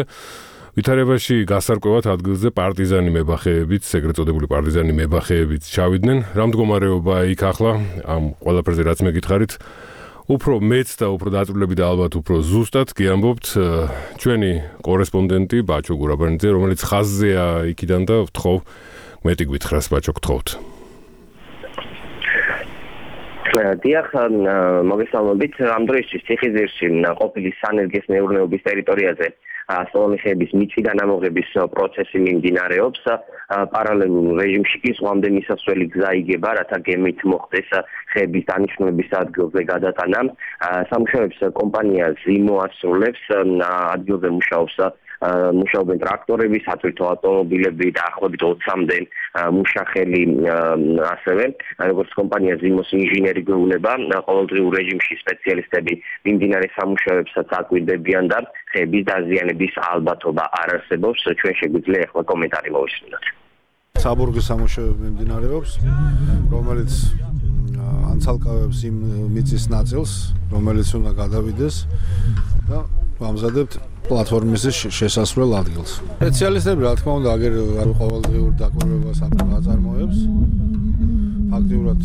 ვითარებაში გასარკვევად ადგილზე პარტიზანი მებახეებიც, ეგრეთ წოდებული პარტიზანი მებახეებიც ჩავიდნენ. რა მდგომარეობაა იქ ახლა? ამ ყველაფერზე რაც მე გითხარით, უფრო მეც და უფრო დაწვრილები და ალბათ უფრო ზუსტად გიამბობთ ჩვენი კორესპონდენტი ბაჩო გურაბანიძე, რომელიც ხაზზეა იქიდან და ვთხოვ მეტი გვითხრას ბაჩო, გთხოვთ. დიახ, მოგესალმებით. ამ დროისთვის ციხისძირში ყოფილი სანერგეს მეურნეობის ტერიტორიაზე ათწლოვანი ხეების მიწიდან ამოღების პროცესი მიმდინარეობს. პარალელურ რეჟიმში კი ზღვამდე მისასვლელი გზა იგება, რათა გემით მოხდეს ხეების დანიშნულების ადგილზე გადატანა. სამუშაოებს კომპანია ზიმო ასრულებს, ადგილზე მუშაობს მუშაობენ ტრაქტორები, სატვირთო ავტომობილები და ახლობით ოცამდე მუშახელი ასევე, როგორც კომპანია ზიმოს ინჟინერი გვეუბნება, ყოველდღიურ რეჟიმში სპეციალისტები მიმდინარე სამუშაოებსაც აკვირდებიან და ხეების დაზიანების ალბათობა არ არსებობს. ჩვენ შეგვიძლია ახლა კომენტარი მოვისმინოთ. საბურგის სამუშაოები მიმდინარეობს, რომელიც ანცალკავებს იმ მიწის ნაწილს, რომელიც უნდა გადავიდეს და ვამზადებთ პლატფორმის შესასვლელ ადგილს. სპეციალისტები, რა თქმა უნდა, აგერ არ ყოველდღიურ დაკვირვებას აწარმოებს. ფაქტიურად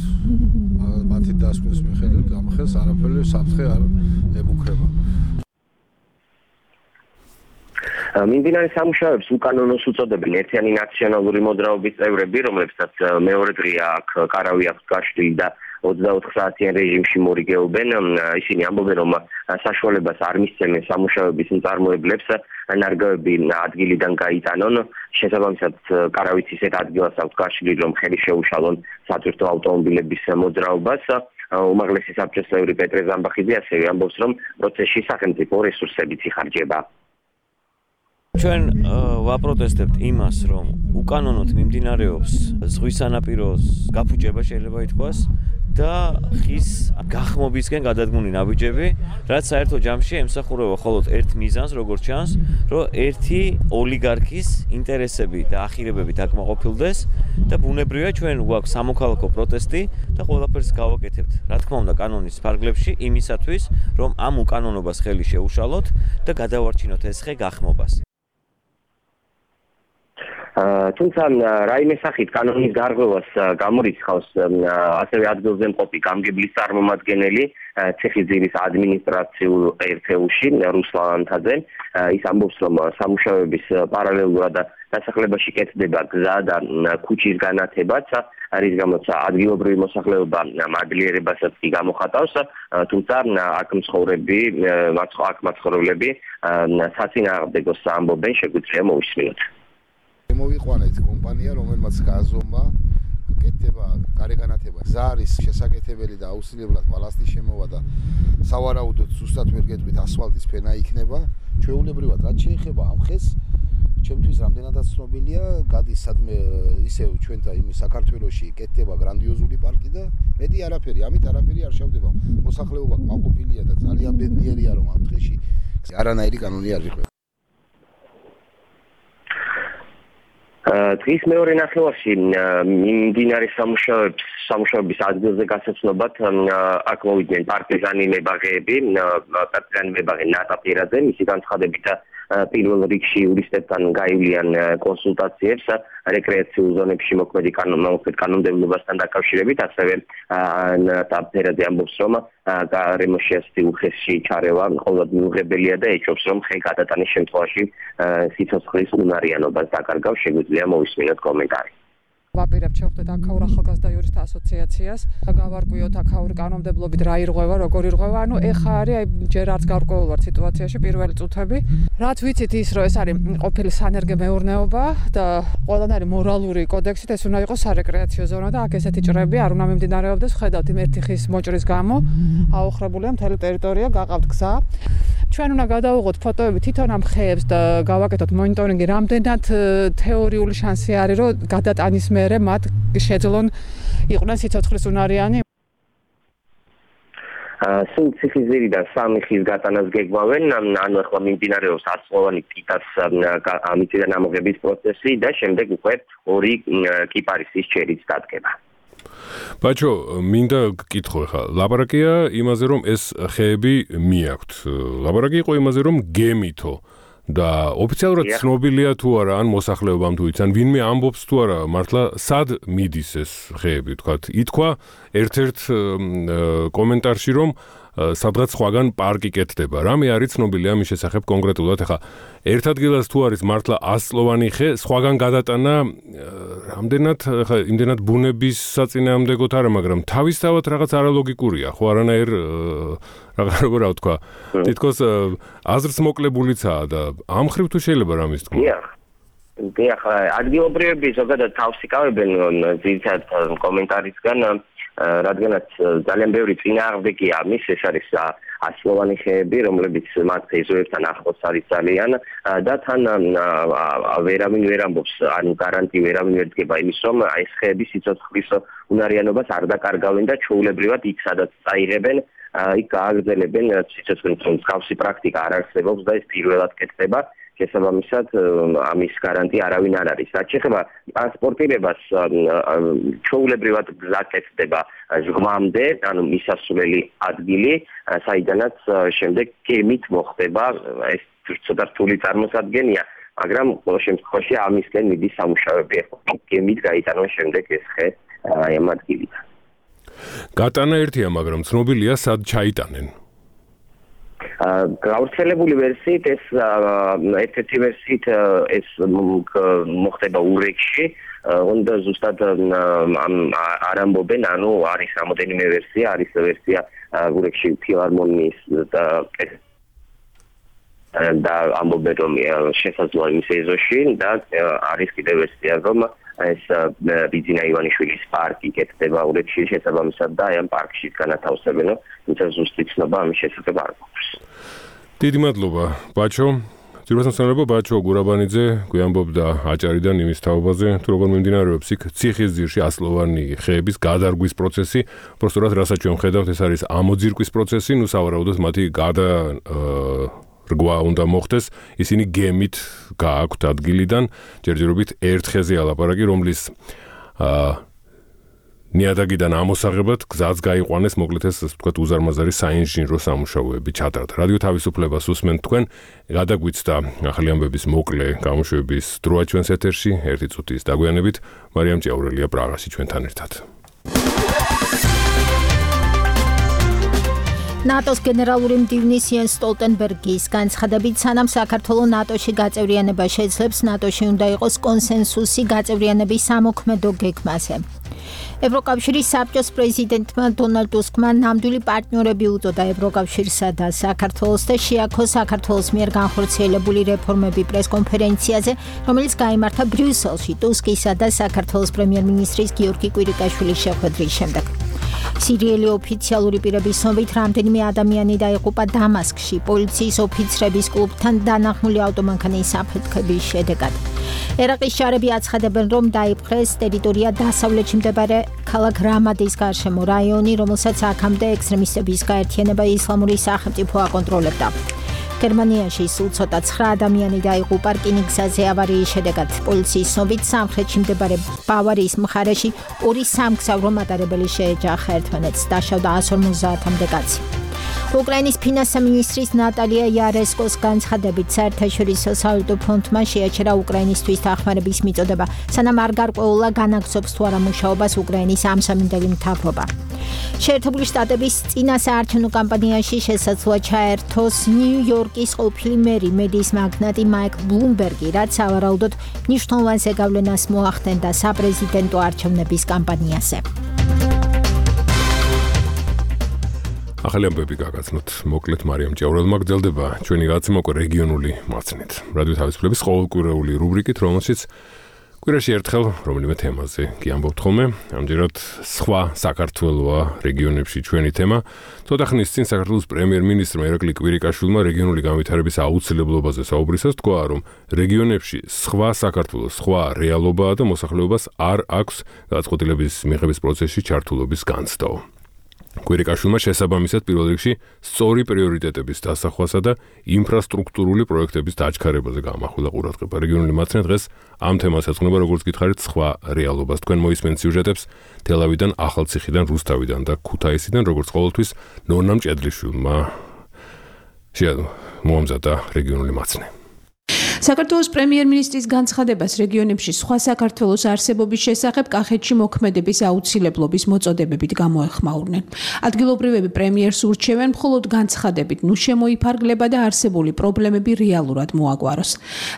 მათი დასკვნის მიხედვით ამ ხელს არაფერი საფრთხე არ ემუქრება. მიმდინარე სამუშაოებს უკანონოს უწოდებენ ერთიანი ნაციონალური მოძრაობის წევრები, რომლებსაც მეორე დღეა აქ კარავი აქვს გაშლილი და ოცდაოთხ საათიან რეჟიმში მორიგეობენ. ისინი ამბობენ, რომ საშუალებას არ მისცემენ სამუშაოების მწარმოებლებს ნარგავები ადგილიდან გაიტანონ. შესაბამისად, კარავიც ისეთ ადგილას აქვს გაშლილი, რომ ხელი შეუშალონ სატვირთო ავტომობილების მოძრაობას. უმაღლესი საბჭოს წევრი პეტრე ზამბახიძე ასევე ამბობს, რომ პროცესში სახელმწიფო რესურსებიც იხარჯება. ჩვენ ვაპროტესტებთ იმას, რომ უკანონოდ მიმდინარეობს ზღვის სანაპიროს გაფუჭება შეიძლება ითქვას და ხის გახმობისკენ გადადგმული ნაბიჯები, რაც საერთო ჯამში ემსახურება მხოლოდ ერთ მიზანს, როგორც ჩანს, რომ ერთი ოლიგარქის ინტერესები და ახირებები დაკმაყოფილდეს და ბუნებრივია ჩვენ გვაქვს სამოქალაქო პროტესტი და ყველაფერს გავაკეთებთ. რა თქმა უნდა, კანონის ფარგლებში იმისათვის, რომ ამ უკანონობას ხელი შეუშალოთ და გადავარჩინოთ ეს ხე გახმობას. თუმცა რაიმე სახით კანონის გარღვევას გამორიცხავს ასევე ადგილზე მყოფი გამგებლის წარმომადგენელი ციხისძირის ადმინისტრაციულ ერთეულში რუსლან ანთაძე. ის ამბობს, რომ სამუშაოების პარალელურად დასახლებაში კეთდება გზა და ქუჩის განათებაც, რის გამოც ადგილობრივი მოსახლეობა მადლიერებასაც კი გამოხატავს, თუმცა აქ მცხოვრები, აქ მაცხოვრებლები საწინააღმდეგოს ამბობენ, შეგვიძლია მოვისმინოთ. მოვიყვანეთ კომპანია, რომელმაც გააზომა კეთდება გარეგანათება. გზა არის შესაკეთებელი და აუცილებლად ბალასტის შემოვა და სავარაუდოდ ზუსტად ვერ გეტყვით ასფალტის ფენა იქნება. ჩვეულებრივად რაც შეეხება ამ ხეს, ჩემთვის რამდენადაც ცნობილია, გადის სადმე ისევ ჩვენთან იმ საქართველოში კეთდება გრანდიოზული პარკი და მეტი არაფერი, ამით არაფერი არ შევდება. მოსახლეობა კმაყოფილია და ძალიან ბედნიერია, რომ ამ დღეში არანაირი კანონი არ ვიყვება. დღის მეორე ნახევარში მიმდინარე სამუშაოებს სამუშაოების ადგილზე გასაცნობად აქ მოვიდნენ პარტიზანი მებაღეები, პარტიზანი მებაღე ნატა პირაძე, მისი განცხადებით პირველ რიგში იურისტებთან გაივლიან კონსულტაციებს რეკრეაციულ ზონებში მოქმედი კანონმდებლობასთან დაკავშირებით, ასევე ნატა პირაძე ამბობს, რომ გარემოში ასეთი უხეში ჩარევა მხოლოდ მიუღებელია და ეჭვობს, რომ ხე გადატანის შემთხვევაში სიცოცხლის უნარიანობას დაკარგავს. შეგვიძლია მოვისმინოთ კომენტარი. ვაპირებთ შევხვდეთ აქაურ ახალგაზრდა იურისტთა ასოციაციას და გავარკვიოთ აქაური კანონმდებლობით რა ირღვევა, როგორ ირღვევა. ანუ ეხა არის აი ჯერ არც გარკვეულ ვარ სიტუაციაში პირველი წუთები. რაც ვიცით ის, რომ ეს არის ყოფილი სანერგე მეურნეობა და ყველანაირი მორალური კოდექსით ეს უნდა იყოს სარეკრეაციო ზონა და აქ ესეთი ჭრები არ უნდა მიმდინარეობდეს. ხედავთ იმ ერთი ხის მოჭრის გამო აოხრებულია მთელი ტერიტორია, გაყავთ გზა. ჩვენ უნდა გადავიღოთ ფოტოები თვითონ ამ ხეებს და გავაკეთოთ მონიტორინგი, რამდენად თეორიული შანსი არის, რომ გადატანის მერე მათ შეძლონ იყვნენ სიცოცხლის უნარიანი. სულ ციხისძირიდან სამი ხის გატანას გეგმავენ, ანუ ახლა მიმდინარეობს ასწლოვანი პიტას ამიწიდან ამოღების პროცესი და შემდეგ უკვე ორი კიპარისის ჩერიც დადგება. ბაჭო, მინდა გკითხო ხა. ლაბარაკია იმაზე, რომ ეს ხეები მიაქვთ. ლაბარაკი იყო იმაზე, რომ გემითო და ოფიციალურად ცნობილია თუ არა ან მოსახლეობამ თუ იციან, ვინმე ამბობს თუ არა, მართლა სად მიდის ეს ხეები, თქვათ. ითქვა ერთ-ერთ კომენტარში, რომ სადღაც სხვაგან პარკი კეთდება. რამე არის ცნობილი ამის შესახებ კონკრეტულად? ახლა ერთ ადგილას თუ არის მართლა ასწლოვანი ხე, სხვაგან გადატანა რამდენად, ახლა იმდენად ბუნების საწინააღმდეგოდ არა, მაგრამ თავისთავად რაღაც არალოგიკურია, ხო, არანაირ რაღაც როგორ რა ვთქვა, თითქოს აზრს მოკლებულიცაა და ამ ხრივ თუ შეიძლება რამის თქმა. დიახ, ადგილობრივები ზოგადად თავს იკავებენ ძირითადად კომენტარისგან, რადგანაც ძალიან ბევრი წინააღმდეგია ამის, ეს არის ასწლოვანი ხეები, რომლებიც მათ ეზოებთან ახლოს არის ძალიან და თან ვერავინ ვერ ამბობს, ანუ გარანტი ვერავინ ვერ დგება იმის, რომ ეს ხეები სიცოცხლის უნარიანობას არ დაკარგავენ და ჩვეულებრივად იქ სადაც წაიღებენ, იქ გააგრძელებენ სიცოცხლის მსგავსი პრაქტიკა არ არსებობს და ეს პირველად კეთდება. შესაბამისად ამის გარანტია არავინ არ არის. რაც შეეხება ტრანსპორტირებას, ჩვეულებრივად გზა კეთდება ჟღმამდე, ანუ მისასვლელი ადგილი, საიდანაც შემდეგ გემით მოხდება, ეს ცოტა რთული წარმოსადგენია, მაგრამ ყოველ შემთხვევაში ამისკენ მიდის სამუშაოები, გემით გაიტანონ შემდეგ ეს ხე აი ამ ადგილით. გატანა ერთია, მაგრამ ცნობილია სად ჩაიტანენ. გავრცელებული ვერსიით ეს ერთ-ერთი ვერსიით ეს მოხდება ურეკში, უნდა ზუსტად არ ამბობენ, ანუ არის რამოდენიმე ვერსია, არის ვერსია ურეკში ფილარმონიის და და ამბობენ რომ შესაძლოა იმის ეზოში და არის კიდევ ვერსია რომ ეს ბიძინა ივანიშვილის პარკი კეთდება ურეკში შესაბამისად და აი ამ პარკში განათავსებენო, თუმცა ზუსტი ცნობა ამის შესახებ არ გვაქვს. დიდი მადლობა, ბაჩო. ძირფასმცემლობა ბაჩო გურაბანიძე გვიამბობდა აჭარიდან იმის თაობაზე, თუ როგორ მიმდინარეობს იქ ციხისძირში ასლოვანი ხეების გადარგვის პროცესი. პროსტურად რასაც ჩვენ ხედავთ, ეს არის ამოძირკვის პროცესი, ნუ სავარაუდოდ მათი გადა რგვა უნდა მოხდეს, ისინი გემით გააქვთ ადგილიდან, ჯერჯერობით ერთ ხეზე ალაპარაკი, რომლის ნიადაგიდან ამოსაღებად გზაც გაიყვანეს, მოკლედ ეს ასე ვთქვათ უზარმაზარი საინჟინრო სამუშაოები ჩატარდა. რადიო თავისუფლებას უსმენთ თქვენ, გადაგვიცდა ახალი ამბების მოკლე გამოშვების დროა ჩვენს ეთერში, ერთი წუთის დაგვიანებით, მარიამ ჭიაურელია პრაღაში ჩვენთან ერთად. ნატოს გენერალური მდივნის იენს სტოლტენბერგის განცხადებით, სანამ საქართველო ნატოში გაწევრიანება შეძლებს, ნატოში უნდა იყოს კონსენსუსი გაწევრიანების სამოქმედო გეგმაზე. ევროკავშირის საბჭოს პრეზიდენტმა დონალდ ტუსკმა ნამდვილი პარტნიორები უწოდა ევროკავშირსა და საქართველოს და შეაქო საქართველოს მიერ განხორციელებული რეფორმები პრესკონფერენციაზე, რომელიც გაიმართა ბრიუსელში ტუსკისა და საქართველოს პრემიერ-მინისტრის გიორგი კვირიკაშვილის შეხვედრის შემდეგ. სირიელი ოფიციალური პირების ცნობით, რამდენიმე ადამიანი დაიღუპა დამასკში პოლიციის ოფიცრების კლუბთან დანახმული ავტომანქანის საფეთქების შედეგად. ერაყის ჯარები აცხადებენ, რომ დაიპყრეს ტერიტორია დასავლეთში მდებარე ქალაქ რამადის გარშემო რაიონი, რომელსაც აქამდე ექსტრემისტების გაერთიანება ისლამური სახელმწიფო აკონტროლებდა. გერმანიაში სულ ცოტა ცხრა ადამიანი დაიღუპა რკინიგზაზე ავარიის შედეგად. პოლიციის ცნობით, სამხრეთში მდებარე ბავარიის მხარეში ორი სამგზავრო მატარებელი შეეჯახა ერთმანეთს, დაშავდა εκατს ორმოცდაათამდე კაცი. უკრაინის ფინანსთა მინისტრის ნატალია იარესკოს განცხადებით, საერთაშორისო სავალუტო ფონდმა შეაჩერა უკრაინისთვის დახმარების მიწოდება, სანამ არ გარკვეულა განაგრძობს თუ არა მუშაობას უკრაინის ამსამინდელი მთავრობა. შეერთებული შტატების წინა საარჩევნო კამპანიაში შესაძლოა ჩაერთოს ნიუ-იორკის ყოფილი მერი მედიის მაგნატი მაიკლ ბლუმბერგი, რაც სავარაუდოდ მნიშვნელოვან ზეგავლენას მოახდენდა საპრეზიდენტო არჩევნების კამპანიაზე. ახალი ამბები გაგაცნოთ. მოკლედ მარიამ ჭიაურელმა გრძელდება ჩვენი გაცემოკო რეგიონული მაცნით. რადიო თავისუფლების ყოველკვირეული რუბრიკით, რომელშიც კვირაში ერთხელ რომელიმე თემაზე კი ამბობთ ხოლმე. ამჯერად სხვა საქართველოა რეგიონებში ჩვენი თემა. ცოტა ხნის წინ საქართველოს პრემიერ-მინისტრმა ირაკლი კვირიკაშვილმა რეგიონული განვითარების აუცილებლობაზე საუბრისას თქვა, რომ რეგიონებში სხვა საქართველოს სხვა რეალობაა და მოსახლეობას არ აქვს გადაწყვეტილების მიღების პროცესში ჩართულობის განცდაო. კვირიკაშვილმა შესაბამისად პირველ რიგში სწორი პრიორიტეტების დასახვასა და ინფრასტრუქტურული პროექტების დაჩქარებაზე გაამახვილა ყურადღება. რეგიონული მაცნე დღეს ამ თემას ეძღვნება, როგორც გითხარით, სხვა რეალობას. თქვენ მოისმენთ სიუჟეტებს თელავიდან, ახალციხიდან, რუსთავიდან და ქუთაისიდან, როგორც ყოველთვის ნონა მჭედლიშვილმა მოამზადა რეგიონული მაცნე. საქართველოს პრემიერ-მინისტრის განცხადებას რეგიონებში სხვა საქართველოს არსებობის შესახებ კახეთში მოქმედების აუცილებლობის მოწოდებებით გამოეხმაურნენ. ადგილობრივები პრემიერს ურჩევენ მხოლოდ განცხადებით, ნუ შემოიფარგლება და არსებული პრობლემები რეალურად მოაგვაროს.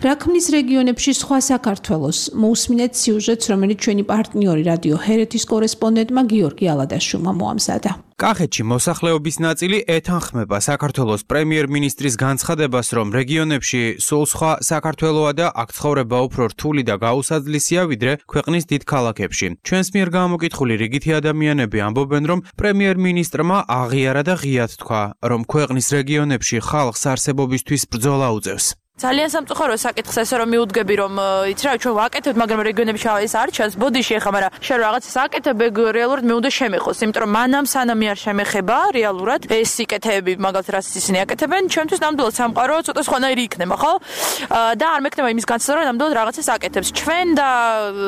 რა ქმნის რეგიონებში სხვა საქართველოს? მოусმინეთ სიუჟეტს, რომელიც ჩვენი პარტნიორი რადიო ჰერეთის კორესპონდენტმა გიორგი ალადაშვილმა მოამზადა. კახეთში მოსახლეობის ნაწილი ეთანხმება საქართველოს პრემიერ-მინისტრის განცხადებას, რომ რეგიონებში სულ სხვა საქართველოა და აქ ცხოვრება უფრო რთული და გაუსაძლისია, ვიდრე ქვეყნის დიდ ქალაქებში. ჩვენს მიერ გამოკითხული რიგითი ადამიანები ამბობენ, რომ პრემიერ-მინისტრმა აღიარა და ღიად თქვა, რომ ქვეყნის რეგიონებში ხალხს არსებობისთვის ბრძოლა უწევს. ძალიან სამწუხაროა საკითხს ესე რომ მიუდგები რომ იცი რა ჩვენ ვაკეთებთ მაგრამ რეგიონებში ეს არ ჩანს ბოდიში ეხა მაგრამ შენ რაღაცას აკეთებ რეალურად მე უნდა შემეხოს იმიტომ რომ მანამ სანამ არ შემეხება რეალურად ეს სიკეთეები მაგალითად რაც ისინი აკეთებენ ჩვენთვის ნამდვილად სამყარო ცოტა სხვანაირი იქნება ხო და არ მექნება იმის განცდა რომ ნამდვილად რაღაცას აკეთებს ჩვენ და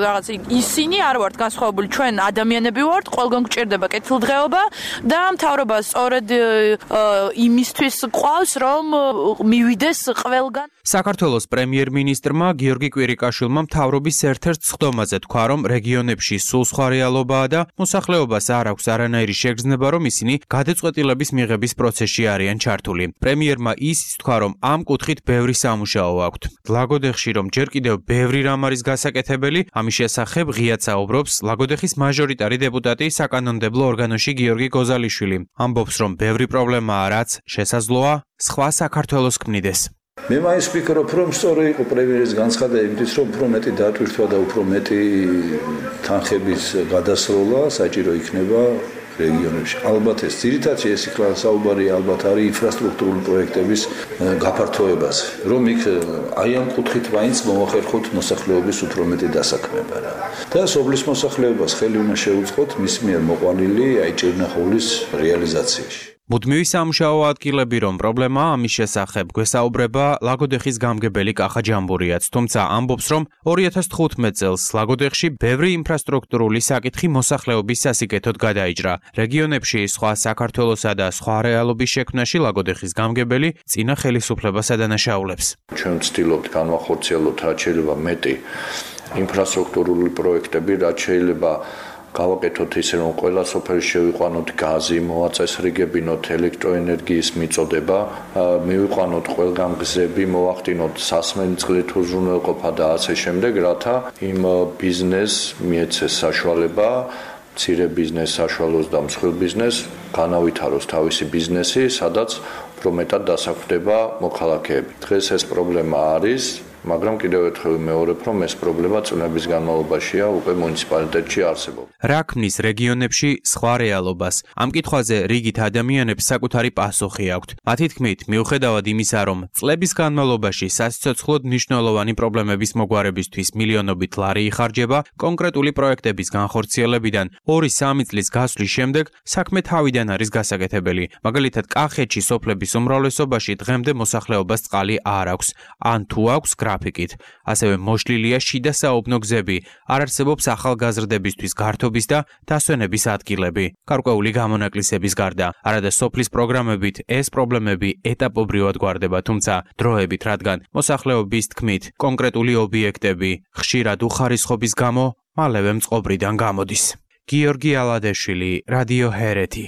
რაღაც ისინი არ ვართ განსხვავებული ჩვენ ადამიანები ვართ ყველგან გვჭირდება კეთილდღეობა და მთავრობა სწორედ იმისთვის ყავს რომ მივიდეს ყველგან საქართველოს პრემიერ-მინისტრმა გიორგი კვირიკაშვილმა მთავრობის ერთ-ერთ სხდომაზე თქვა, რომ რეგიონებში სულ სხვა რეალობაა და მოსახლეობას არ აქვს არანაირი შეგრძნება, რომ ისინი გადაწყვეტილების მიღების პროცესში არიან ჩართული. პრემიერმა ისიც თქვა, რომ ამ კუთხით ბევრი სამუშაო აქვთ. ლაგოდეხში, რომ ჯერ კიდევ ბევრი რამ არის გასაკეთებელი, ამის შესახებ ღიად საუბრობს ლაგოდეხის მაჟორიტარი დეპუტატი საკანონმდებლო ორგანოში გიორგი გოზალიშვილი. ამბობს, რომ ბევრი პრობლემაა, რაც შესაძლოა სხვა საქართველოს ქმნიდეს. მე მაინც ვფიქრობ, რომ სწორი იყო პრემიერის განცხადება იმით, რომ უფრო მეტი დატვირთვა და უფრო მეტი თანხების გადასროლა საჭირო იქნება რეგიონებში. ალბათ ეს ძირითადად ეს იქლა საუბარი ალბათ არის ინფრასტრუქტურული პროექტების გაფართოებაზე, რომ იქ აი ამ კუთხით მაინც მოახერხოთ მოსახლეობის უფრო მეტი დასაქმება რა. და სოფლის მოსახლეობას ხელი უნდა შეუწყოთ მის მიერ მოყვანილი აი ჭირნახულის რეალიზაციაში. მუდმივი სამუშაო ადგილები რომ პრობლემაა ამის შესახებ გვესაუბრება ლაგოდეხის გამგებელი კახა ჯამბურიაც, თუმცა ამბობს რომ ორი ათას თხუთმეტ წელს ლაგოდეხში ბევრი ინფრასტრუქტურული საკითხი მოსახლეობის სასიკეთოდ გადაიჭრა. რეგიონებში სხვა საქართველოსა და სხვა რეალობის შექმნაში ლაგოდეხის გამგებელი წინა ხელისუფლებას ადანაშაულებს. ჩვენ ვცდილობთ განვახორციელოთ რაც შეიძლება მეტი ინფრასტრუქტურული პროექტები, რაც შეიძლება გავაკეთოთ ისე რომ ყველა სოფელში შევიყვანოთ გაზი, მოაწესრიგებინოთ ელექტროენერგიის მიწოდება, მივიყვანოთ ყველგან გზები, მოახდინოთ სასმელი წყლით უზრუნველყოფა და ასე შემდეგ, რათა იმ ბიზნესს მიეცეს საშუალება, მცირე ბიზნეს საშუალოს და მსხვილ ბიზნესს განავითაროს თავისი ბიზნესი, სადაც უფრო მეტად დასაქმდება მოქალაქეები. დღეს ეს პრობლემა არის. მაგრამ კიდევ ერთხელ მეორებ, რომ ეს პრობლემა წლების განმავლობაშია უკვე მუნიციპალიტეტში არსებობს. რა ქმნის რეგიონებში სხვა რეალობას? ამ კითხვაზე რიგით ადამიანებს საკუთარი პასუხი აქვთ. მათი თქმით, მიუხედავად იმისა, რომ წლების განმავლობაში სასიცოცხლოდ მნიშვნელოვანი პრობლემების მოგვარებისთვის მილიონობით ლარი იხარჯება, კონკრეტული პროექტების განხორციელებიდან ორი სამი წლის გასვლის შემდეგ საქმე თავიდან არის გასაკეთებელი. მაგალითად, კახეთში სოფლების უმრავლესობაში დღემდე მოსახლეობას წყალი არ აქვს, ან თუ აქვს გრაფიკით. ასევე მოშლილია შიდა საუბნო გზები, არ არსებობს ახალგაზრდებისთვის გართობის და დასვენების ადგილები. გარკვეული გამონაკლისების გარდა, არადა სოფლის პროგრამებით ეს პრობლემები ეტაპობრივად გვარდება, თუმცა დროებით, რადგან მოსახლეობის თქმით, კონკრეტული ობიექტები ხშირად უხარისხობის გამო მალევე მწყობრიდან გამოდის. გიორგი ალადეშვილი, რადიო ჰერეთი.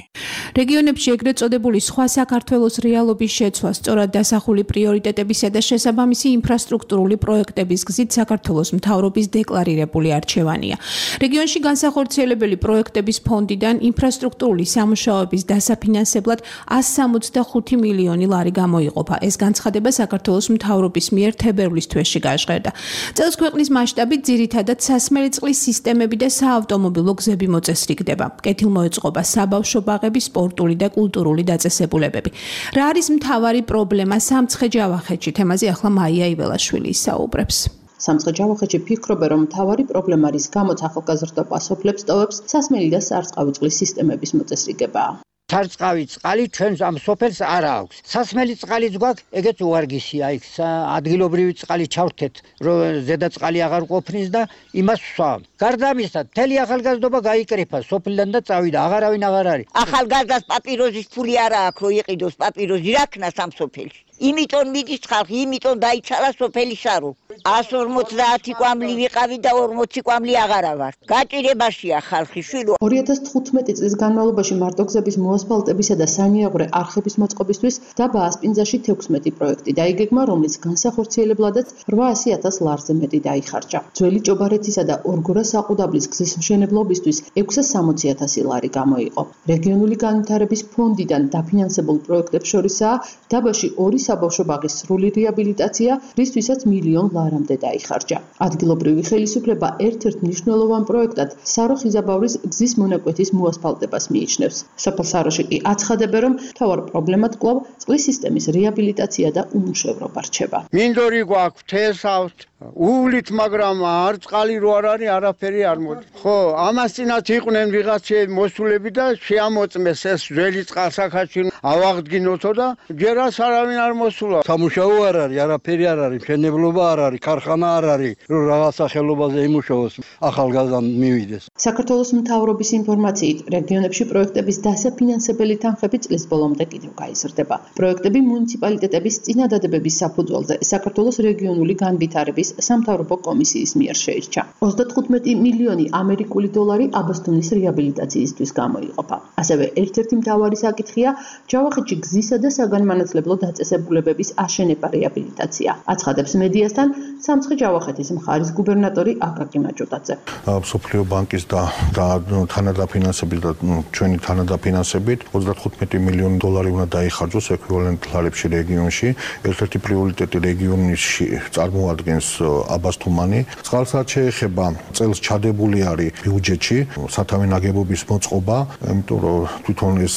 რეგიონებში ეგრეთ წოდებული სხვა საქართველოს რეალობის შეცვლა სწორად დასახული პრიორიტეტებისა და შესაბამისი ინფრასტრუქტურული პროექტების გზით საქართველოს მთავრობის დეკლარირებული არჩევანია. რეგიონში განსახორციელებელი პროექტების ფონდიდან ინფრასტრუქტურული სამუშაოების დასაფინანსებლად ასი სამოცდახუთი მილიონი ლარი გამოიყოფა. ეს განცხადება საქართველოს მთავრობის მიერ თებერვლის თვეში გაჟღერდა. წელს ქვეყნის მასშტაბით ძირითადად სასმელი წყლის სისტემები და საავტომობილო გზები მოწესრიგდება. კეთილმოეწყობა საბავშვო ბაღების სპორტული და კულტურული დაწესებულებები. რა არის მთავარი პრობლემა სამცხე-ჯავახეთში? თემაზე ახლა მაია იველაშვილი ისაუბრებს. სამცხე-ჯავახეთში ფიქრობენ, რომ მთავარი პრობლემა რის გამოც ახალგაზრდობა სოფლებს ტოვებს, სასმელი და სარწყავი წყლის სისტემების მოწესრიგებაა. სარწყავი წყალი ჩვენს ამ სოფელს არ აქვს. სასმელი წყალიც გვაქვს, ეგეც უარგისია. იქ ადგილობრივი წყალი ჩავრთეთ, რომ ზედა წყალი აღარ ყოფნის და იმას ვსვამ. გარდა ამისა, მთელი ახალგაზრდობა გაიკრიფა სოფლიდან და წავიდა, აღარავინ აღარ არის. ახალგაზრდას პაპიროზის ფული არა აქვს, რომ იყიდოს პაპიროზი, რა ქნას ამ სოფელში. იმიტომ მიდის ხალხი, იმიტომ დაიცალა სოფელი შარო. ას ორმოცდაათი კვამლი ვიყავი და ორმოცი კვამლი აღარა ვარ. გაჭირებაშია ხალხი შვილო. ორი ათას თხუთმეტი წლის განმავლობაში მარტოგზების მოასფალტებისა და სანიაღვრე არხების მოწყობისთვის დაბა ასპინძაში თექვსმეტი პროექტი დაიგეგმა, რომლის განსახორციელებლადაც რვაასი ათას ლარზე მეტი დაიხარჯა. ძველი ჭობარეთისა და ორგორა საყუდაბლის გზის მშენებლობისთვის ექვსასამოცი ათასი ლარი გამოიყო. რეგიონული განვითარების ფონდიდან დაფინანსებულ პროექტებს შორისაა დაბაში ორი საბავშვო ბაღის სრული რეაბილიტაცია, რისთვისაც მილიონ ლარამდე დაიხარჯა. ადგილობრივი ხელისუფლება ერთ-ერთ მნიშვნელოვან პროექტად სარო-ხიზაბავრის გზის მონაკვეთის მოასფალტებას მიიჩნევს. სოფელ საროში კი აცხადებენ, რომ მთავარ პრობლემად კვლავ წყლის სისტემის რეაბილიტაცია და უმუშევრობა რჩება. მინდორი გვაქვს თესავთ უვლით, მაგრამ არ წყალი რო არ არის, არაფერი არ მოდის. ხო, ამას წინათ იყვნენ ვიღაცები მოსულები და შეამოწმეს ეს ძველი წყალსაქაჩი ავაღდგინოთო და ჯერაც არავინ არ მოსულა. სამუშაო არ არის, არაფერი არ არის, მშენებლობა არ არის, ქარხანა არ არის, რომ რაღაცა ხელობაზე იმუშაოს, ახალგაზრდა მივიდეს. საქართველოს მთავრობის ინფორმაციით, რეგიონებში პროექტების დასაფინანსებელი თანხები წლის ბოლომდე კიდევ გაიზრდება. პროექტები მუნიციპალიტეტების წინადადებების საფუძველზე საქართველოს რეგიონული განვითარების სამთავრობო კომისიის მიერ შეირჩა. ოცდათხუთმეტი მილიონი ამერიკული დოლარი აბასთუმნის რეაბილიტაციისთვის გამოიყოფა. ასევე ერთ-ერთი მთავარი საკითხია ჯავახეთში გზისა და საგანმანათლებლო დაწესებულებების აშენება რეაბილიტაცია. აცხადებს მედიასთან სამცხე ჯავახეთის მხარის გუბერნატორი აკაკი მაჭუტაძე. მსოფლიო ბანკის და თანადაფინანსებით და ჩვენი თანადაფინანსებით ოცდათხუთმეტი მილიონი დოლარი უნდა დაიხარჯოს ეკვივალენტ ლარებში რეგიონში. ერთ-ერთი პრიორიტეტი რეგიონში წარმოადგენს აბასთუმანი. წყალსაც შეეხება წელს ჩადებული არის ბიუჯეტში სათავე ნაგებობის მოწყობა, იმიტომ რომ თვითონ ეს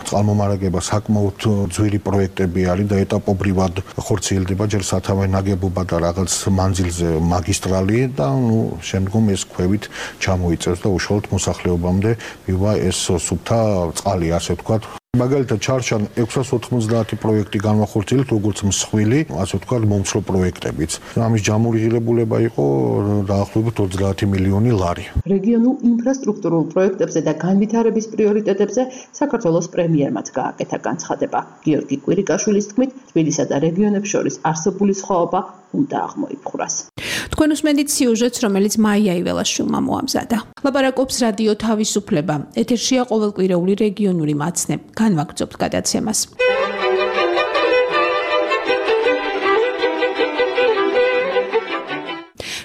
წყალმომარაგება საკმაოდ ძვირი პროექტები არის და ეტაპობრივად ხორციელდება ჯერ სათავე ნაგებობა და რაღაც მანძილზე მაგისტრალი და ნუ შემდგომ ეს ქვევით ჩამოიწევს და უშუალოდ მოსახლეობამდე მივა ეს სუფთა წყალი, ასე ვთქვათ. მაგალითად ჩარჩან ექვსას ოთხმოცდაათი პროექტი განვახორციელეთ, როგორც მსხვილი, ასე ვთქვათ, მომცრო პროექტებიც. ამის ჯამური იყო დაახლოებით ოცდაათი მილიონი ლარი. რეგიონულ ინფრასტრუქტურულ პროექტებზე და განვითარების პრიორიტეტებზე საქართველოს პრემიერმაც გააკეთა განცხადება. გიორგი კვირიკაშვილის თქმით, თბილისსა და რეგიონებს შორის არსებული სხვაობა უნდა აღმოიფხვრას. თქვენ უსმენთ სიუჟეტს, რომელიც მაია იველაშვილმა მოამზადა. ლაპარაკობს რადიო თავისუფლება. ეთერშია ყოველკვირეული რეგიონული მაცნე. განვაგრძობთ გადაცემას.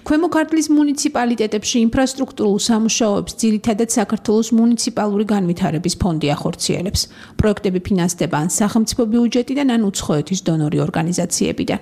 ქვემო ქართლის მუნიციპალიტეტებში ინფრასტრუქტურულ სამუშაოებს ძირითადად საქართველოს მუნიციპალური განვითარების ფონდი ახორციელებს. პროექტები ფინანსდება ან სახელმწიფო ბიუჯეტიდან, ან უცხოეთის დონორი ორგანიზაციებიდან.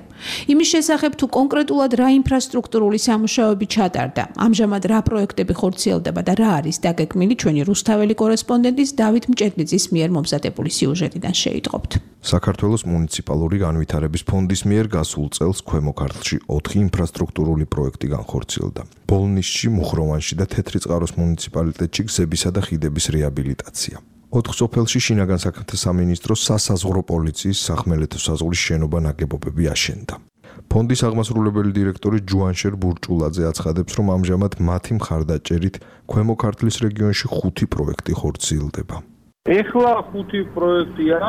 იმის შესახებ, თუ კონკრეტულად რა ინფრასტრუქტურული სამუშაოები ჩატარდა, ამჟამად რა პროექტები ხორციელდება და რა არის დაგეგმილი, ჩვენი რუსთაველი კორესპონდენტის დავით მჭედლიძის მიერ მომზადებული სიუჟეტიდან შეიტყობთ. საქართველოს მუნიციპალური განვითარების ფონდის მიერ გასულ წელს ქვემო ქართლში ოთხი ინფრასტრუქტურული პროექტი განხორციელდა. ბოლნისში, მუხროვანში და თეთრიწყაროს მუნიციპალიტეტში გზებისა და ხიდების რეაბილიტაცია. ოთხ სოფელში შინაგან საქმეთა სამინისტროს სასაზღვრო პოლიციის სახმელეთო საზღვრის შენობა ნაგებობები აშენდა. ფონდის აღმასრულებელი დირექტორი ჯუანშერ ბურჭულაძე აცხადებს, რომ ამჟამად მათი მხარდაჭერით ქვემო ქართლის რეგიონში ხუთი პროექტი ხორციელდება. ეხლა ხუთი პროექტია,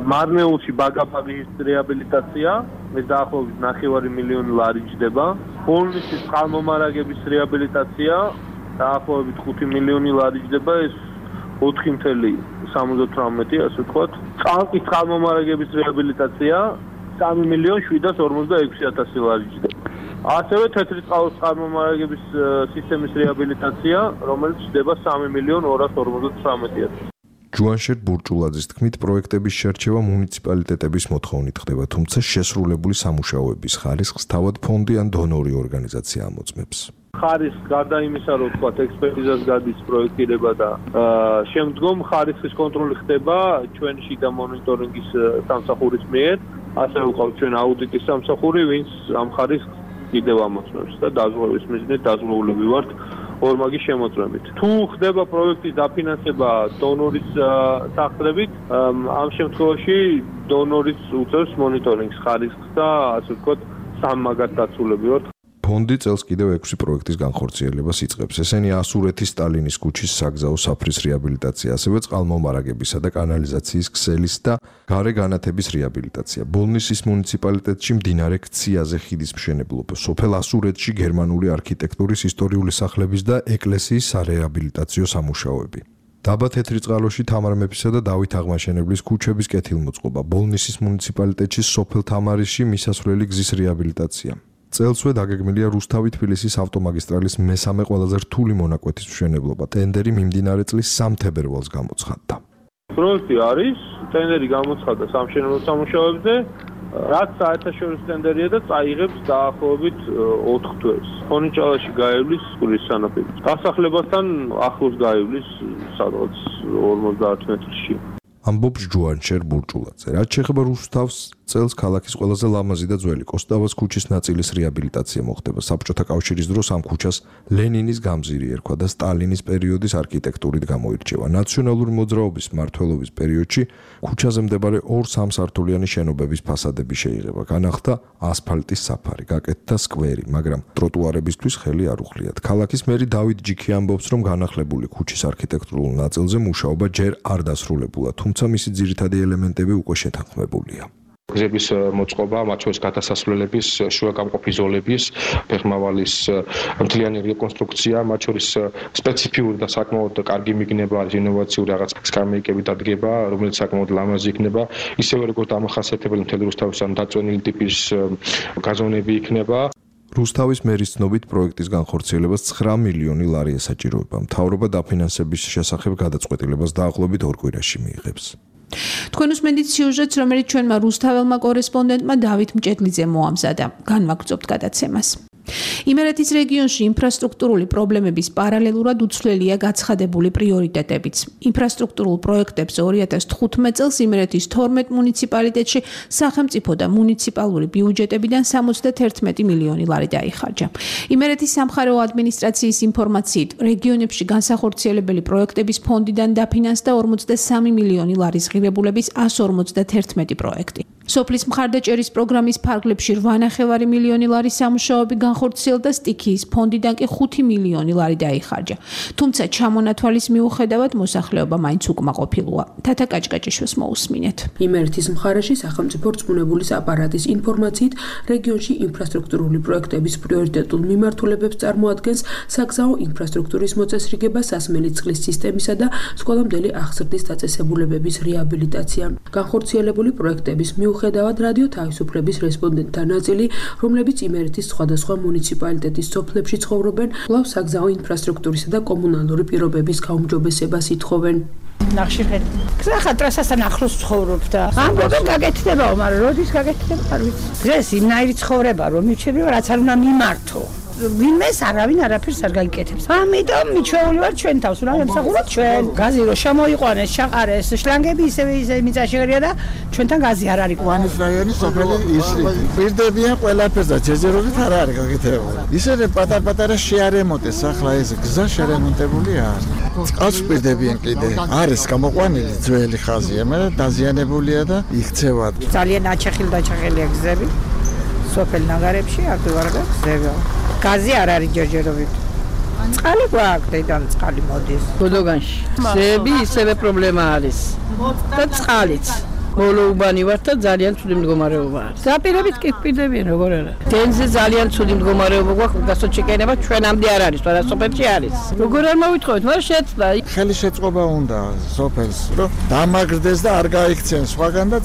მარნეულში ბაგაფაგის რეაბილიტაცია, ეს დაახლოებით ნახევარი მილიონი ლარი ჯდება. ბოლნისის წყალმომარაგების რეაბილიტაცია, დაახლოებით ხუთი მილიონი ლარი ჯდება, ეს ოთხი წელი სამოცდათვრამეტი, ასე ვთქვათ. წყალკის წყალმომარაგების რეაბილიტაცია, სამი მილიონი შვიდას ორმოცდაექვსი ათასი ლარი ჯდება. ასევე თეთრიწყაროს წყალმომარაგების სისტემის რეაბილიტაცია, რომელიც ჯდება სამი მილიონი ორას ორმოცდათვრამეტი ათასი. ჯუანშერ ბურჭულაძის თქმით, პროექტების შერჩევა მუნიციპალიტეტების მოთხოვნით ხდება, თუმცა შესრულებული სამუშაოების ხარისხს თავად ფონდი ან დონორი ორგანიზაცია ამოწმებს. ხარისხს გარდა იმისა, რომ თქვათ ექსპერტიზას გადის პროექტირება და შემდგომ ხარისხის კონტროლი ხდება ჩვენ შიდა მონიტორინგის სამსახურის მიერ, ასევე ვყავთ ჩვენ აუდიტის სამსახური, ვინც ამ ხარისხს კიდევ ამოწმებს და დაზღვევის მიზნით დაზღვეულები ვართ ორმაგი შემოწმებით. თუ ხდება პროექტის დაფინანსება დონორის სახსრებით, ამ შემთხვევაში დონორის უწევს მონიტორინგს ხარისხს და ასე ვთქვათ სამმაგად დაცულები ვართ. ფონდი წელს კიდევ ექვსი პროექტის განხორციელებას იწყებს. ესენია ასურეთის სტალინის ქუჩის საგზაო საფრის რეაბილიტაცია, ასევე წყალმომარაგებისა და კანალიზაციის ქსელის და გარე განათების რეაბილიტაცია. ბოლნისის მუნიციპალიტეტში მდინარე ქციაზე ხიდის მშენებლობა, სოფელ ასურეთში გერმანული არქიტექტურის ისტორიული სახლების და ეკლესიის სარეაბილიტაციო სამუშაოები. დაბა თეთრიწყაროში თამარ მეფისა და დავით აღმაშენებლის ქუჩების კეთილმოწყობა, ბოლნისის მუნიციპალიტეტში სოფელ თამარიში მისასვლელი გზის რეაბილიტაცია. წელსვე დაგეგმილია რუსთავი-თბილისის ავტომაგისტრალის მესამე ყველაზე რთული მონაკვეთის მშენებლობა. ტენდერი მიმდინარე წლის სამ თებერვალს გამოცხადდა. პროექტი არის, ტენდერი გამოცხადდა სამშენებლო სამუშაოებზე, რაც საერთაშორისო ტენდერია და წაიღებს დაახლოებით ოთხ თვეს. ხონიჭალაში გაივლის სკოლის სანაპირო. დასახლებასთან ახლოს გაივლის სადღაც ორმოცდაათ მეტრში. ამბობს ჯუანჩერ ბურჭულაძე. რაც შეეხება რუსთავს, წელს ქალაქის ყველაზე ლამაზი და ძველი კოსტავას ქუჩის ნაწილის რეაბილიტაცია მოხდება. საბჭოთა კავშირის დროს ამ ქუჩას ლენინის გამზირი ერქვა და სტალინის პერიოდის არქიტექტურით გამოირჩევა. ნაციონალური მოძრაობის მმართველობის პერიოდში ქუჩაზე მდებარე ორ სამსართულიანი შენობების ფასადები შეიღება. განახლდა ასფალტის საფარი, გაკეთდა სკვერი, მაგრამ ტროტუარებისთვის ხელი არ უხლიათ. ქალაქის მერი დავით ჯიქი ამბობს, რომ განახლებული ქუჩის არქიტექტურულ ნაწილზე მუშაობა ჯერ არ დასრულებულა, თუმცა მისი ძირითადი ელემენტები უკვე შეთანხმებულია. გზების მოწყობა, მათ შორის გადასასვლელების, შუაგამყოფი ზოლების, ფეხმავალის მთლიანი რეკონსტრუქცია, მათ შორის სპეციფიური და საკმაოდ კარგი მიგნება, ინოვაციური რაღაც სკამეიკები დადგება, რომელიც საკმაოდ ლამაზი იქნება, ისევე როგორც დამახასიათებელი მთელი რუსთავისთან დაწვენილი ტიპის გაზონები იქნება. რუსთავის მერის ცნობით პროექტის განხორციელებას ცხრა მილიონი ლარი ესაჭიროება. მთავრობა დაფინანსების შესახებ გადაწყვეტილებას დაახლოებით ორ კვირაში მიიღებს. თქვენ უსმენთ სიუჟეტს, რომელიც ჩვენმა რუსთაველმა კორესპონდენტმა დავით მჭედლიძემ მოამზადა. განვაგრძობთ გადაცემას. იმერეთის რეგიონში ინფრასტრუქტურული პრობლემების პარალელურად უცვლელია გაცხადებული პრიორიტეტებიც. ინფრასტრუქტურულ პროექტებს ორი ათას თხუთმეტ წელს იმერეთის თორმეტ მუნიციპალიტეტში სახელმწიფო და მუნიციპალური ბიუჯეტებიდან სამოცდაერთი მილიონი ლარი დაიხარჯა. იმერეთის სამხარეო ადმინისტრაციის ინფორმაციით, რეგიონებში განსახორციელებელი პროექტების ფონდიდან დაფინანსდა ორმოცდასამი მილიონი ლარის ღირებულების ასი ორმოცდაერთი პროექტი. სოფლის მხარდაჭერის პროგრამის ფარგლებში რვა ნახევარი მილიონი ლარის სამუშაოები განხორციელდა, სტიქიის ფონდიდან კი ხუთი მილიონი ლარი დაიხარჯა. თუმცა ჩამონათვალის მიუხედავად მოსახლეობა მაინც უკმაყოფილოა. თათა კაჭკაჭიშვილს მოусმინეთ. იმერეთის მხარეში სახელმწიფო რწმუნებულის აპარატის ინფორმაციით, რეგიონში ინფრასტრუქტურული პროექტების პრიორიტეტულ მიმართულებებს წარმოადგენს საგზაო ინფრასტრუქტურის მოწესრიგება, სასმელი წყლის სისტემისა და სკოლამდელი აღზრდის დაწესებულებების რეაბილიტაცია. განხორციელებული პროექტების მიუხედავად რადიო თავისუფლების რესპონდენტთა ნაწილი, რომლებიც იმერეთის სხვადასხვა მუნიციპალიტეტის სოფლებში ცხოვრობენ, კვლავ საგზაო ინფრასტრუქტურისა და კომუნალური პირობების გაუმჯობესებას ითხოვენ. ნახშირხეთი. ხა ტრასასთან ახლოს ცხოვრობ და ამბობენ გაკეთდებაო, მაგრამ როდის გაკეთდება არ ვიცი. დღეს იმნაირი ცხოვრება რომ მიჩვენება, რაც არ უნდა მიმართო. ვინმეს არავინ არაფერს არ გაიკეთებს. ამიტომ მიჩვეული ვარ ჩვენ თავს, უნდა ემსახუროთ ჩვენ. გაზი რო შემოიყვანეს, ჩაყარეს, შლანგები ისევე ისე მიწაშეღერია და ჩვენთან გაზი არ არის. ვანის რაიონის სოფელი ისი. პირდებიან ყველაფერს და ჯერჯერობით არ არის გაკეთებული. ისინი პატარ-პატარა შეარემონტეს, ახლა ეს გზა შერემონტებული არის. წყალს პირდებიან კიდე. არის გამოყვანილი ძველი ხაზია, მაგრამ დაზიანებულია და იქცევა. ძალიან აჩეხილ დაჩახელია გზები. სოფელ ნაგარებში აქ ვარ და გზები. გაზი არ არის ჯერჯერობით. წყალი გვაქვს, დედამ წყალი მოდის. გოდოგანში. გზები ისევე პრობლემა არის. და წყალიც. მოლოუბანი ვარ და ძალიან ცუდი მდგომარეობა არის. ზაპირებით კი პირდებიან როგორ არა. დენზე ძალიან ცუდი მდგომარეობა გვაქვს, გასოჩეკენება ჩვენამდე არ არის, თორე სოფელში არის. როგორ არ მოვითხოვეთ, მაგრამ შეცდა. ხელი შეწყობა უნდა სოფელს, რომ დამაგრდეს და არ გაიქცენ სხვაგან და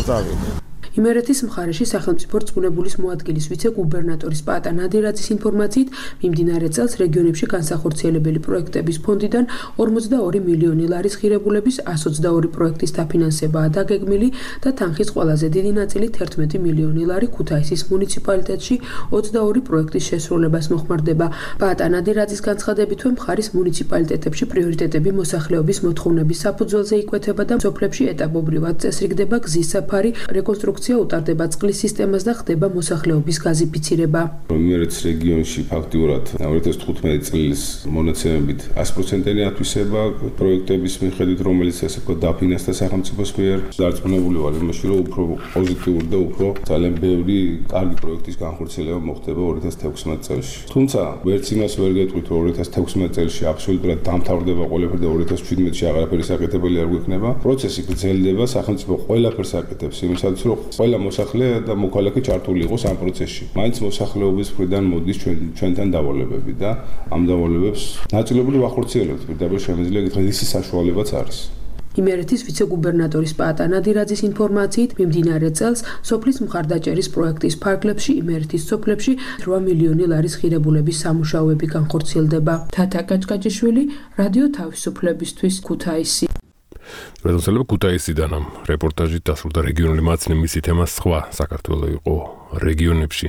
წავიდნენ. იმერეთის მხარეში სახელმწიფო რწმუნებულის მოადგილის ვიცე-გუბერნატორის პატა ნადირაძის ინფორმაციით, მიმდინარე წელს რეგიონებში განსახორციელებელი პროექტების ფონდიდან ორმოცდაორი მილიონი ლარის ღირებულების ასი ოცდაორი პროექტის დაფინანსებაა დაგეგმილი და თანხის ყველაზე დიდი ნაწილი თერთმეტი მილიონი ლარი ქუთაისის მუნიციპალიტეტში ოცდაორი პროექტის შესრულებას მოხმარდება. პატა ნადირაძის განცხადებითვე მხარის მუნიციპალიტეტებში პრიორიტეტები მოსახლეობის მოთხოვნების საფუძველზე იკვეთება და სოფლებში ეტაპობრივად წესრიგდება გზის საფარი, რეკონსტრუქცია უტარდება წყლის სისტემას და ხდება მოსახლეობის გაზიფიცირება. იმერეთის რეგიონში ფაქტიურად ორი ათას თხუთმეტი წლის მონაცემებით ასი პროცენტიანი ათვისება პროექტების მიხედვით, რომელიც ასე ვთქვათ დაფინანსდა სახელმწიფოს მიერ. დარწმუნებული ვარ იმაში, რომ უფრო პოზიტიური და უფრო ძალიან ბევრი კარგი პროექტის განხორციელება მოხდება ორი ათას თექვსმეტ წელს. თუმცა ვერც იმას ვერ გეტყვით, რომ ორი ათას თექვსმეტ წელში აბსოლუტურად დამთავრდება ყველაფერი და ორი ათას შვიდმეტში აღარაფერი საკეთებელი არ გვექნება. პროცესი გრძელდება, სახელმწიფო ყველაფერს აკეთებს იმისათვის, რომ ყველა მოსახლე და მოქალაქე ჩართული იყოს ამ პროცესში. მაინც მოსახლეობის მხრიდან მოდის ჩვენ ჩვენთან დავალებები და ამ დავალებებს ნაწილობრივ ვახორციელებთ. პირდაპირ შემიძლია გითხრათ, ისი საშუალებაც არის. იმერეთის ვიცე-გუბერნატორის პატა ნადირაძის ინფორმაციით, მიმდინარე წელს სოფლის მხარდაჭერის პროექტის ფარგლებში იმერეთის სოფლებში რვა მილიონი ლარის ღირებულების სამუშაოები განხორციელდება. თათა კაჭკაჭიშვილი, რადიო თავისუფლებისთვის, ქუთაისი. რეზოლუცია ქუთაისიდან ამ რეპორტაჟით დასრულდა რეგიონული მაცნე მისი თემა სხვა საქართველო იყო რეგიონებში.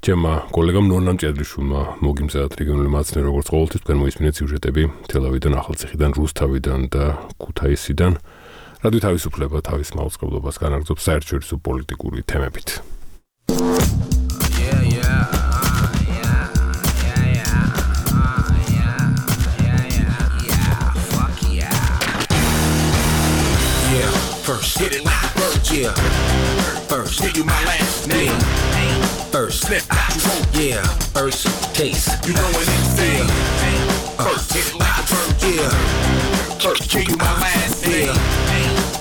ჩემმა კოლეგამ ნონა მჭედრიშვილმა მოგიმზადათ რეგიონული მაცნე როგორც ყოველთვის თქვენ მოისმინეთ სიუჟეტები თელავიდან, ახალციხიდან, რუსთავიდან და ქუთაისიდან. რადიო თავისუფლება თავის მაუწყებლობას განაგრძობს საერთაშორისო პოლიტიკური თემებით. First, hit it like a bird, yeah. First, give you my last name. First, slip out, yeah. First, taste. You know what it's saying. First, hit it like a bird, yeah. First, give you my last name.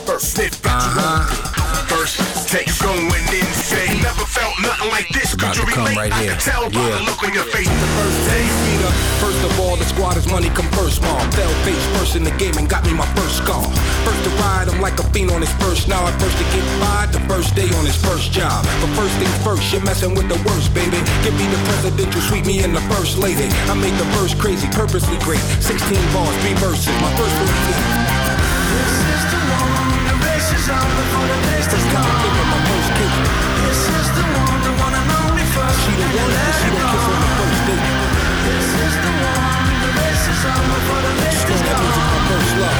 First, slip out, first, take going insane. Never felt nothing like this. Could you relate? Right I can tell by the look on your face. The first day, Peter. First of all, the squad is money come first, mom. Fell face first in the game and got me my first scar. First to ride, I'm like a fiend on his first now. First to get fired, the first day on his first job. But first things first, you're messing with the worst, baby. Give me the presidential sweep me in the first lady. I made the verse crazy, purposely great. sixteen bars, three verses, my first one. This is the one, the race is on before the days to come. My first kiss. This is the one, the one and only first. She the one that she don't kiss on the first date. This is the one, the race is on before the days to come. My first love.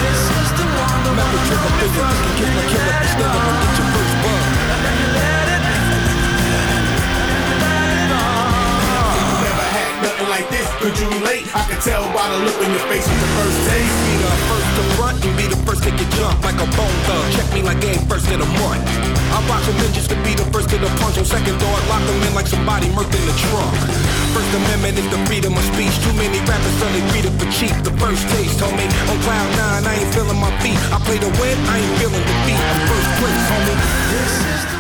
This is the one, the one and only first. You can kiss my killer, but still I'm gonna get your first bug. And then you let it, and then you let it on. You never had nothing like this, could you relate? I can tell by the look on your face with the first taste. Be the first to front and be the first to get jumped like a bone thug. Check me like game first in a month. I box them in just to be the first to the punch. On second thought, lock them in like somebody murked in the trunk. First Amendment is the freedom of speech. Too many rappers suddenly treated for cheap. The first taste, homie. On cloud nine, I ain't feeling my feet. I play the win, I ain't feeling defeat. I'm first place, homie. This is the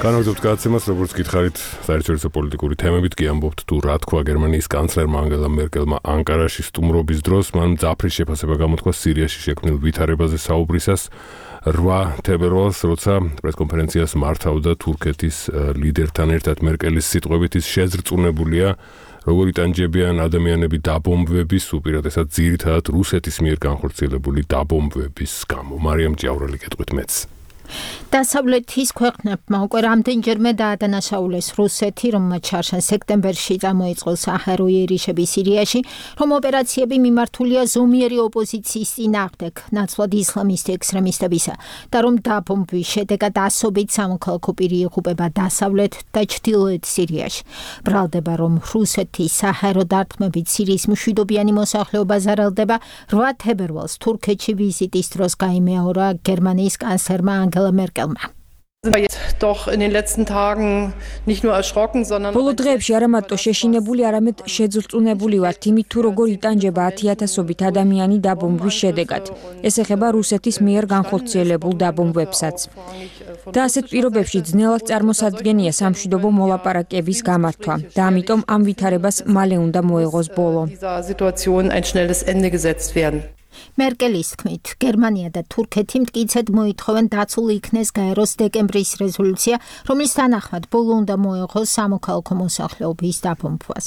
განაგრძობთ გადაცემას, როგორც გითხარით, საერთაშორისო პოლიტიკური თემებით კი ამბობთ თუ რა თქვა გერმანიის კანცლერმა ანგელა მერკელმა ანკარაში სტუმრობის დროს, მან მძაფრის შეფასება გამოთქვა სირიაში შექმნილ ვითარებაზე საუბრისას რვა თებერვალს, როცა პრესკონფერენციას მართავდა თურქეთის ლიდერთან ერთად. მერკელის სიტყვებით ის შეზრწუნებულია, როგორ იტანჯებიან ადამიანები დაბომბვების, უპირატესად ძირითადად რუსეთის მიერ განხორციელებული დაბომბვების გამო. მარიამ ჭიაურელი გეტყვით მეც. დასავლეთის ქვეყნებმა უკვე რამდენჯერმე დაადანაშაულეს რუსეთი, რომელმაც შარშან სექტემბერში წამოიწყო საჰაერო იერიშები სირიაში, რომ ოპერაციები მიმართულია ზომიერი ოპოზიციის წინააღმდეგ, ნაცვლად ისლამისტი ექსტრემისტებისა, და რომ დაბომბვის შედეგად ასობით სამოქალაქო პირი იღუპება დასავლეთ და ჩრდილოეთ სირიაში. ბრალდება, რომ რუსეთის საჰაერო დარტყმებით სირიის მშვიდობიანი მოსახლეობა ზარალდება. რვა თებერვალს თურქეთში ვიზიტის დროს გაიმეორა გერმანიის კანცლერმა ანგელა Merkelმა. Doch in den letzten Tagen nicht nur erschrocken, sondern ბოლო დღეებში არა მარტო შეშინებული, არამედ შეძრწუნებული ვართ იმით, თუ როგორ იტანჯება ათიათასობით ადამიანი დაბომბვის შედეგად. ეს ეხება რუსეთის მიერ განხორციელებულ დაბომბვებსაც. და ასეთ პირობებში ძნელად წარმოსადგენია სამშვიდობო მოლაპარაკების გამართვა და ამიტომ ამ ვითარებას მალე უნდა მოეღოს ბოლო. მერკელის თქმით, გერმანია და თურქეთი მტკიცედ მოითხოვენ დაცულ იქნეს გაეროს დეკემბრის რეზოლუცია, რომლის თანახმად ბოლო უნდა მოეღოს სამოქალაქო მოსახლეობის დაბომბვას.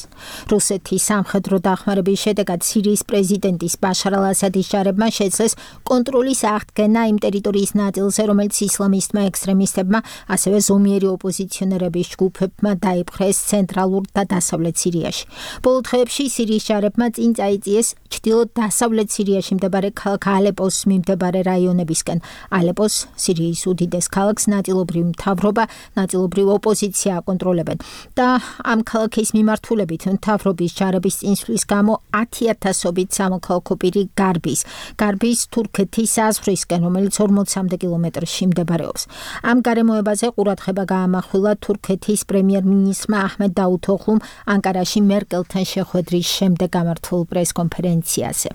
რუსეთის სამხედრო დახმარების შედეგად სირიის პრეზიდენტის ბაშარ ალ-ასადის ჯარებმა შეძლეს კონტროლის აღდგენა იმ ტერიტორიის ნაწილზე, რომელიც ისლამისტმა ექსტრემისტებმა, ასევე ზომიერი ოპოზიციონერების ჯგუფებმა დაიპყრეს ცენტრალურ და დასავლეთ სირიაში. ბოლო დღეებში სირიის ჯარებმა წინ წაიწიეს ჩრდილო-დასავლეთ სირიაში მდებარე ქალაქ ალეპოს მიმდებარე რაიონებისკენ. ალეპოს სირიის უდიდეს ქალაქს ნაწილობრივ მთავრობა, ნაწილობრივ ოპოზიცია აკონტროლებენ და ამ ქალაქის მიმართულებით მთავრობის ჯარების წინსვლის გამო ათიათასობით სამოქალაქო პირი გარბის. გარბის თურქეთის საზღვრისკენ, რომელიც ორმოცამდე კილომეტრში მდებარეობს. ამ გარემოებაზე ყურადღება გაამახვილა თურქეთის პრემიერ-მინისტრმა აჰმედ დაუთოღლუმ ანკარაში მერკელთან შეხვედრის შემდეგ გამართულ პრესკონფერენციაზე.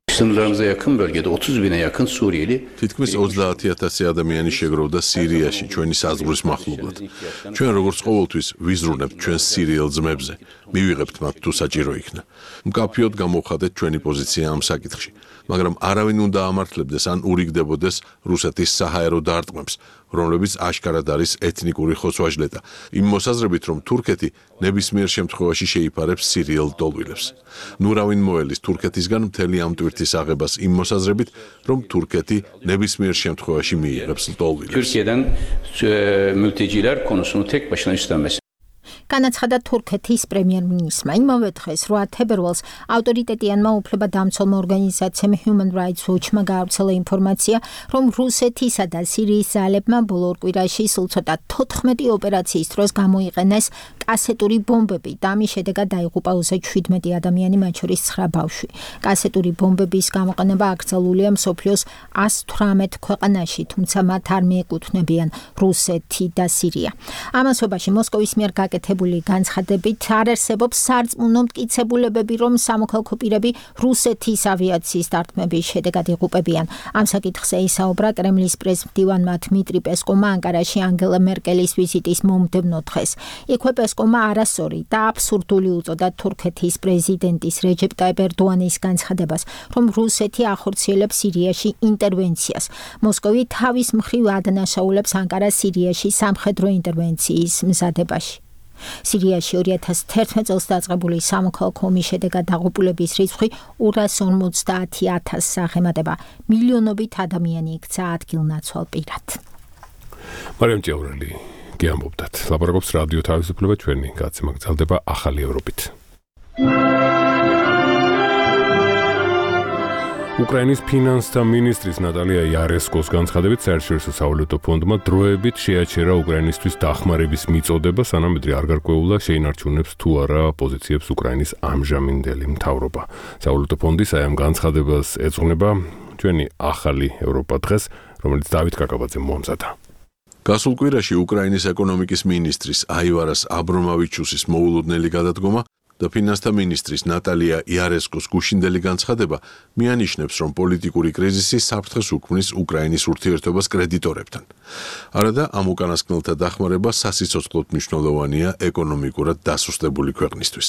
Sınırlarımıza yakın bölgede otuz bine yakın Suriyeli თითქმის ოცდაათი ათასი ადამიანი შეგროვდა სირიაში ჩვენი საზღვრის მახლობლად. ჩვენ როგორც ყოველთვის ვიზრუნებთ ჩვენს სირიელ ძმებზე. მივიღებთ მათ თუ საჭირო იქნა. მკაფიოდ გამოვხადეთ ჩვენი პოზიცია ამ საკითხში, მაგრამ არავინ უნდა ამართლებდეს ან ურიგდებოდეს რუსეთის საჰაერო დარტყმებს, რომლებიც აშკარად არის ეთნიკური ხოცვა-ჟლეტა. იმ მოსაზრებით, რომ თურქეთი ნებისმიერ შემთხვევაში შეიფარებს სირიელ დოლვილებს. ნურავინ მოელის თურქეთისგან მთელი ამ ტვირთის აღებას იმ მოსაზრებით, რომ თურქეთი ნებისმიერ შემთხვევაში მიიღებს დოლვილებს. Türkiye'den mülteciler konusunu tek başına üstlenmesi. განაცხადა თურქეთის პრემიერ-მინისტრმა. იმავე დღეს რვა თებერვალს ავტორიტეტიანმა უფლებადამცველმა ორგანიზაციამ Human Rights Watch-მა გაავრცელა ინფორმაცია, რომ რუსეთისა და სირიის ძალებმა ბოლო ორ კვირაში სულ ცოტა თოთხმეტი ოპერაციის დროს გამოიყენეს კასეტური ბომბები და ამის შედეგად დაიღუპა ოცდაშვიდ ადამიანი, მათ შორის ცხრა ბავშვი. კასეტური ბომბების გამოყენება აკრძალულია მსოფლიოს ას თვრამეტ ქვეყანაში, თუმცა მათ არ მიეკუთვნებიან რუსეთი და სირია. ამასობაში მოსკოვის მიერ გაკეთებული განცხადებით არ არსებობს სარწმუნო მტკიცებულებები, რომ სამოქალაქო პირები რუსეთის ავიაციის დარტყმების შედეგად იღუპებიან. ამ საკითხზე ისაუბრა კრემლის პრესმდივანმა დმიტრი პესკოვმა ანკარაში ანგელა მერკელის ვიზიტის მომდევნო დღეს. იქვე პესკოვმა არასწორი და აბსურდული უწოდა თურქეთის პრეზიდენტის რეჯეპ ტაიპ ერდოანის განცხადებას, რომ რუსეთი ახორციელებს სირიაში ინტერვენციას. მოსკოვი თავის მხრივ ადანაშაულებს ანკარას სირიაში სამხედრო ინტერვენციის მზადებაში. სირიაში ორი ათას თერთმეტ წელს დაწყებული სამოქალაქო ომის შედეგად დაღუპულების რიცხვი ორას ორმოცდაათი ათასს აღემატება. მილიონობით ადამიანი იქცა ადგილნაცვალ პირად. მარიამ ჭიაურელი გიამბობდათ. ლაპარაკობს რადიო თავისუფლება, ჩვენი გაცემა გრძელდება ახალი ევროპით. უკრაინის ფინანსთა მინისტრის ნატალია იარესკოს განცხადებით საერთაშორისო სავალუტო ფონდმა დროებით შეაჩერა უკრაინისთვის დახმარების მიწოდება, სანამ ადრე არ გარკვეულა შეინარჩუნებს თუ არა პოზიციებს უკრაინის ამჟამინდელი მთავრობა. სავალუტო ფონდის აი ამ განცხადებას ეძღვნება ჩვენი ახალი ევროპა დღეს, რომელიც დავით კაკაბაძემ მოამზადა. გასულ კვირაში უკრაინის ეკონომიკის მინისტრის აივარას აბრომავიჩუსის მოულოდნელი გადადგომა და ფინანსთა მინისტრის ნატალია იარესკოს გუშინდელი განცხადება მიანიშნებს, რომ პოლიტიკური კრიზისი საფრთხეს უქმნის უკრაინის ურთიერთობას კრედიტორებთან. არადა ამ უკანასკნელთა დახმარება სასიცოცხლოდ მნიშვნელოვანია ეკონომიკურად დასუსტებული ქვეყნისთვის.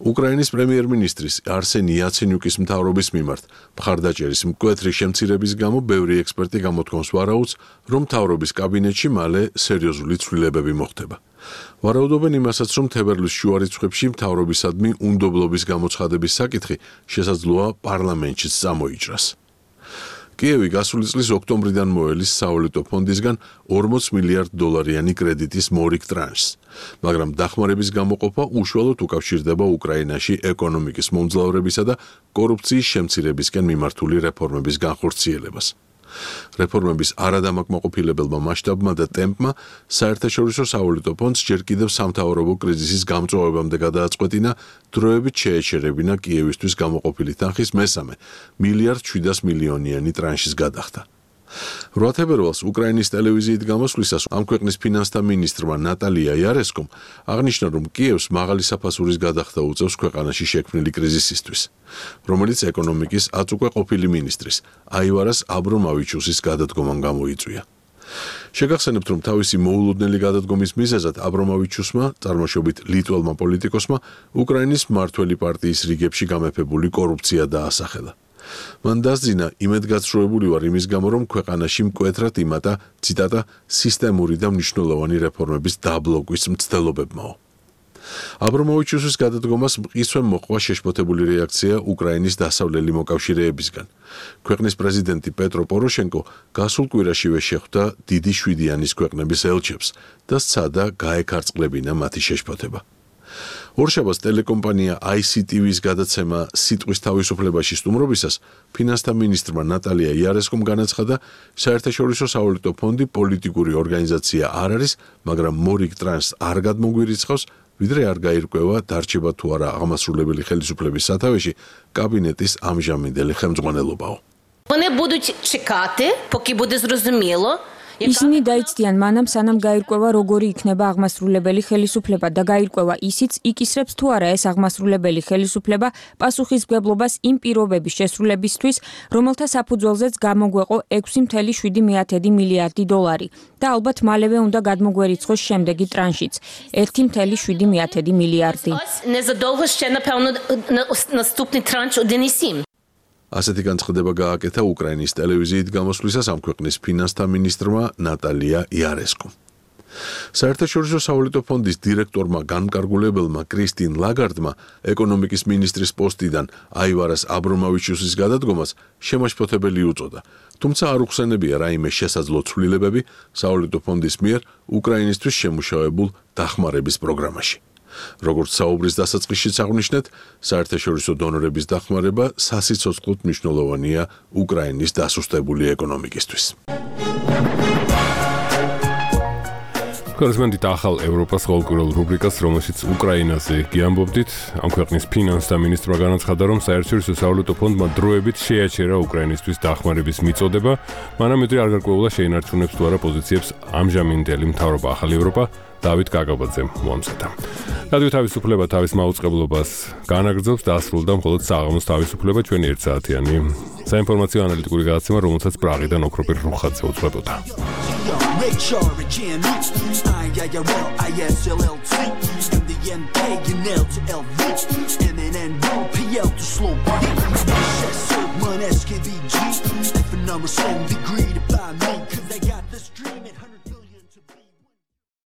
უკრაინის პრემიერ-მინისტრის არსენ იაცენიუკის მთავრობის მიმართ მხარდაჭერის მკვეთრი შემცირების გამო ბევრი ექსპერტი გამოთქვამს ვარაუდს, რომ მთავრობის კაბინეტში მალე სერიოზული ცვლილებები მოხდება. ვარაუდობენ იმასაც, რომ თებერვლის შუა რიცხვებში მთავრობისადმი უნდობლობის გამოცხადების საკითხი შესაძლოა პარლამენტშიც წამოიჭრას. კიევი გასული წლის ოქტომბრიდან მოელის სავალუტო ფონდისგან ორმოც მილიარდ დოლარიანი კრედიტის მორიგ ტრანშს, მაგრამ დახმარების გამოყოფა უშუალოდ უკავშირდება უკრაინაში ეკონომიკის მომძლავრებისა და კორუფციის შემცირებისკენ მიმართული რეფორმების განხორციელებას. რეფორმების არადამაკმაყოფილებელმა მასშტაბმა და ტემპმა საერთაშორისო სავალუტო ფონდს ჯერ კიდევ სამთავრობო კრიზისის გამწვავებამდე გადააწყვეტინა დროებით შეეჩერებინა კიევისთვის გამოყოფილი თანხის მესამე მილიარდ შვიდას მილიონიანი ტრანშის გადახდა. რვა თებერვალს უკრაინის ტელევიზიით გამოსვლისას ამ ქვეყნის ფინანსთა მინისტრმა ნატალია იარესკომ აღნიშნა, რომ კიევს მაღალი საფასურის გადახდა უწევს ქვეყანაში შექმნილი კრიზისისთვის, რომელიც ეკონომიკის აწუკვე ყოფილი მინისტრის აივარას აბრომავიჩუსის გადადგომამ გამოიწვია. შეგახსენებთ, რომ თავისი მოულოდნელი გადადგომის მიზეზად აბრომავიჩუსმა, წარმოშობით ლიტველმა პოლიტიკოსმა, უკრაინის მმართველი პარტიის რიგებში გამეფებული კორუფცია დაასახელა. მან დასძინა, იმედგაცრუებული ვარ იმის გამო, რომ ქვეყანაში მკვეთრად იმატა, ციტატა, სისტემური და მნიშვნელოვანი რეფორმების დაბლოკვის მცდელობებმაო. აბრომოვიჩუსის გადადგომას მყისვე მოყვა შეშფოთებული რეაქცია უკრაინის დასავლელი მოკავშირეებისგან. ქვეყნის პრეზიდენტი პეტრო პოროშენკო გასულ კვირაშივე შეხვდა დიდი შვიდიანის ქვეყნების ელჩებს და სცადა გაეკარწყლებინა მათი შეშფოთება. ორშაბათს ტელეკომპანია აი სი ტი ვი-ის გადაცემა სიტყვის თავისუფლებაში სტუმრობისას ფინანსთა მინისტრმა ნატალია იარესკომ განაცხადა, საერთაშორისო სავალუტო ფონდი პოლიტიკური ორგანიზაცია არ არის, მაგრამ მორიგ ტრანსს არ გადმოგვირიცხავს, ვიდრე არ გაირკვევა დარჩება თუ არა აღმასრულებელი ხელისუფლების სათავეში კაბინეტის ამჟამინდელი ხელმძღვანელობაო. Вони будуть чекати, поки буде зрозуміло. ისინი დაიცდიან მანამ, სანამ გაირკვევა, როგორი იქნება აღმასრულებელი ხელისუფლება და გაირკვევა ისიც, იკისრებს თუ არა ეს აღმასრულებელი ხელისუფლება პასუხისმგებლობას იმ პირობების შესრულებისთვის, რომელთა საფუძველზეც გამოგვეყო ექვსი ათეული შვიდი მილიარდი დოლარი და ალბათ მალევე უნდა გადმოგვერიცხოს შემდეგი ტრანშიც ერთი ათეული შვიდი მილიარდი. Незадовго ще, напевно, наступний транш один і сім. ასეთი განცხადება გააკეთა უკრაინის ტელევიზიით გამოსვლისას ამ ქვეყნის ფინანსთა მინისტრმა ნატალია იარესკომ. საერთაშორისო სავალუტო ფონდის დირექტორმა განმკარგულებელმა კრისტინ ლაგარდმა ეკონომიკის მინისტრის პოსტიდან აივარას აბრომოვიჩუსის გადადგომას შემაშფოთებელი უწოდა. თუმცა არ უხსენებია რაიმე შესაძლო ცვლილებები სავალუტო ფონდის მიერ უკრაინისთვის შემუშავებულ დახმარების პროგრამაში. როგორც საუბრის დასაწყისშიც აღნიშნეთ, საერთაშორისო დონორების დახმარება სასიცოცხლოდ მნიშვნელოვანია უკრაინის დასუსტებული ეკონომიკისთვის. კორესპონდენტი ახალ ევროპას ყოველკვირეულ რუბრიკას, რომელშიც უკრაინაზე გიამბობდით, ამ ქვეყნის ფინანსთა მინისტრმა განაცხადა, რომ საერთაშორისო სავალუტო ფონდმა დროებით შეაჩერა უკრაინისთვის დახმარების მიწოდება, მანამდე არ გარკვეულა შეინარჩუნებს თუ არა პოზიციებს ამჟამინდელი მთავრობა ახალ ევროპა დავით კაკაბაძემ მოამზადა. რადიო თავისუფლება თავის მაუწყებლობას განაგრძობს, დასრულდა მხოლოდ საღამოს თავისუფლება ჩვენი ერთსაათიანი საინფორმაციო ანალიტიკური გადაცემა, რომელსაც პრაღიდან ოქროპირ რუხაძე უძღვებოდა. Ray Charge and I I R I S L L T M D N K and L to L V M N N P L to slow one S K V G F number seven degree to buy me cause they got the street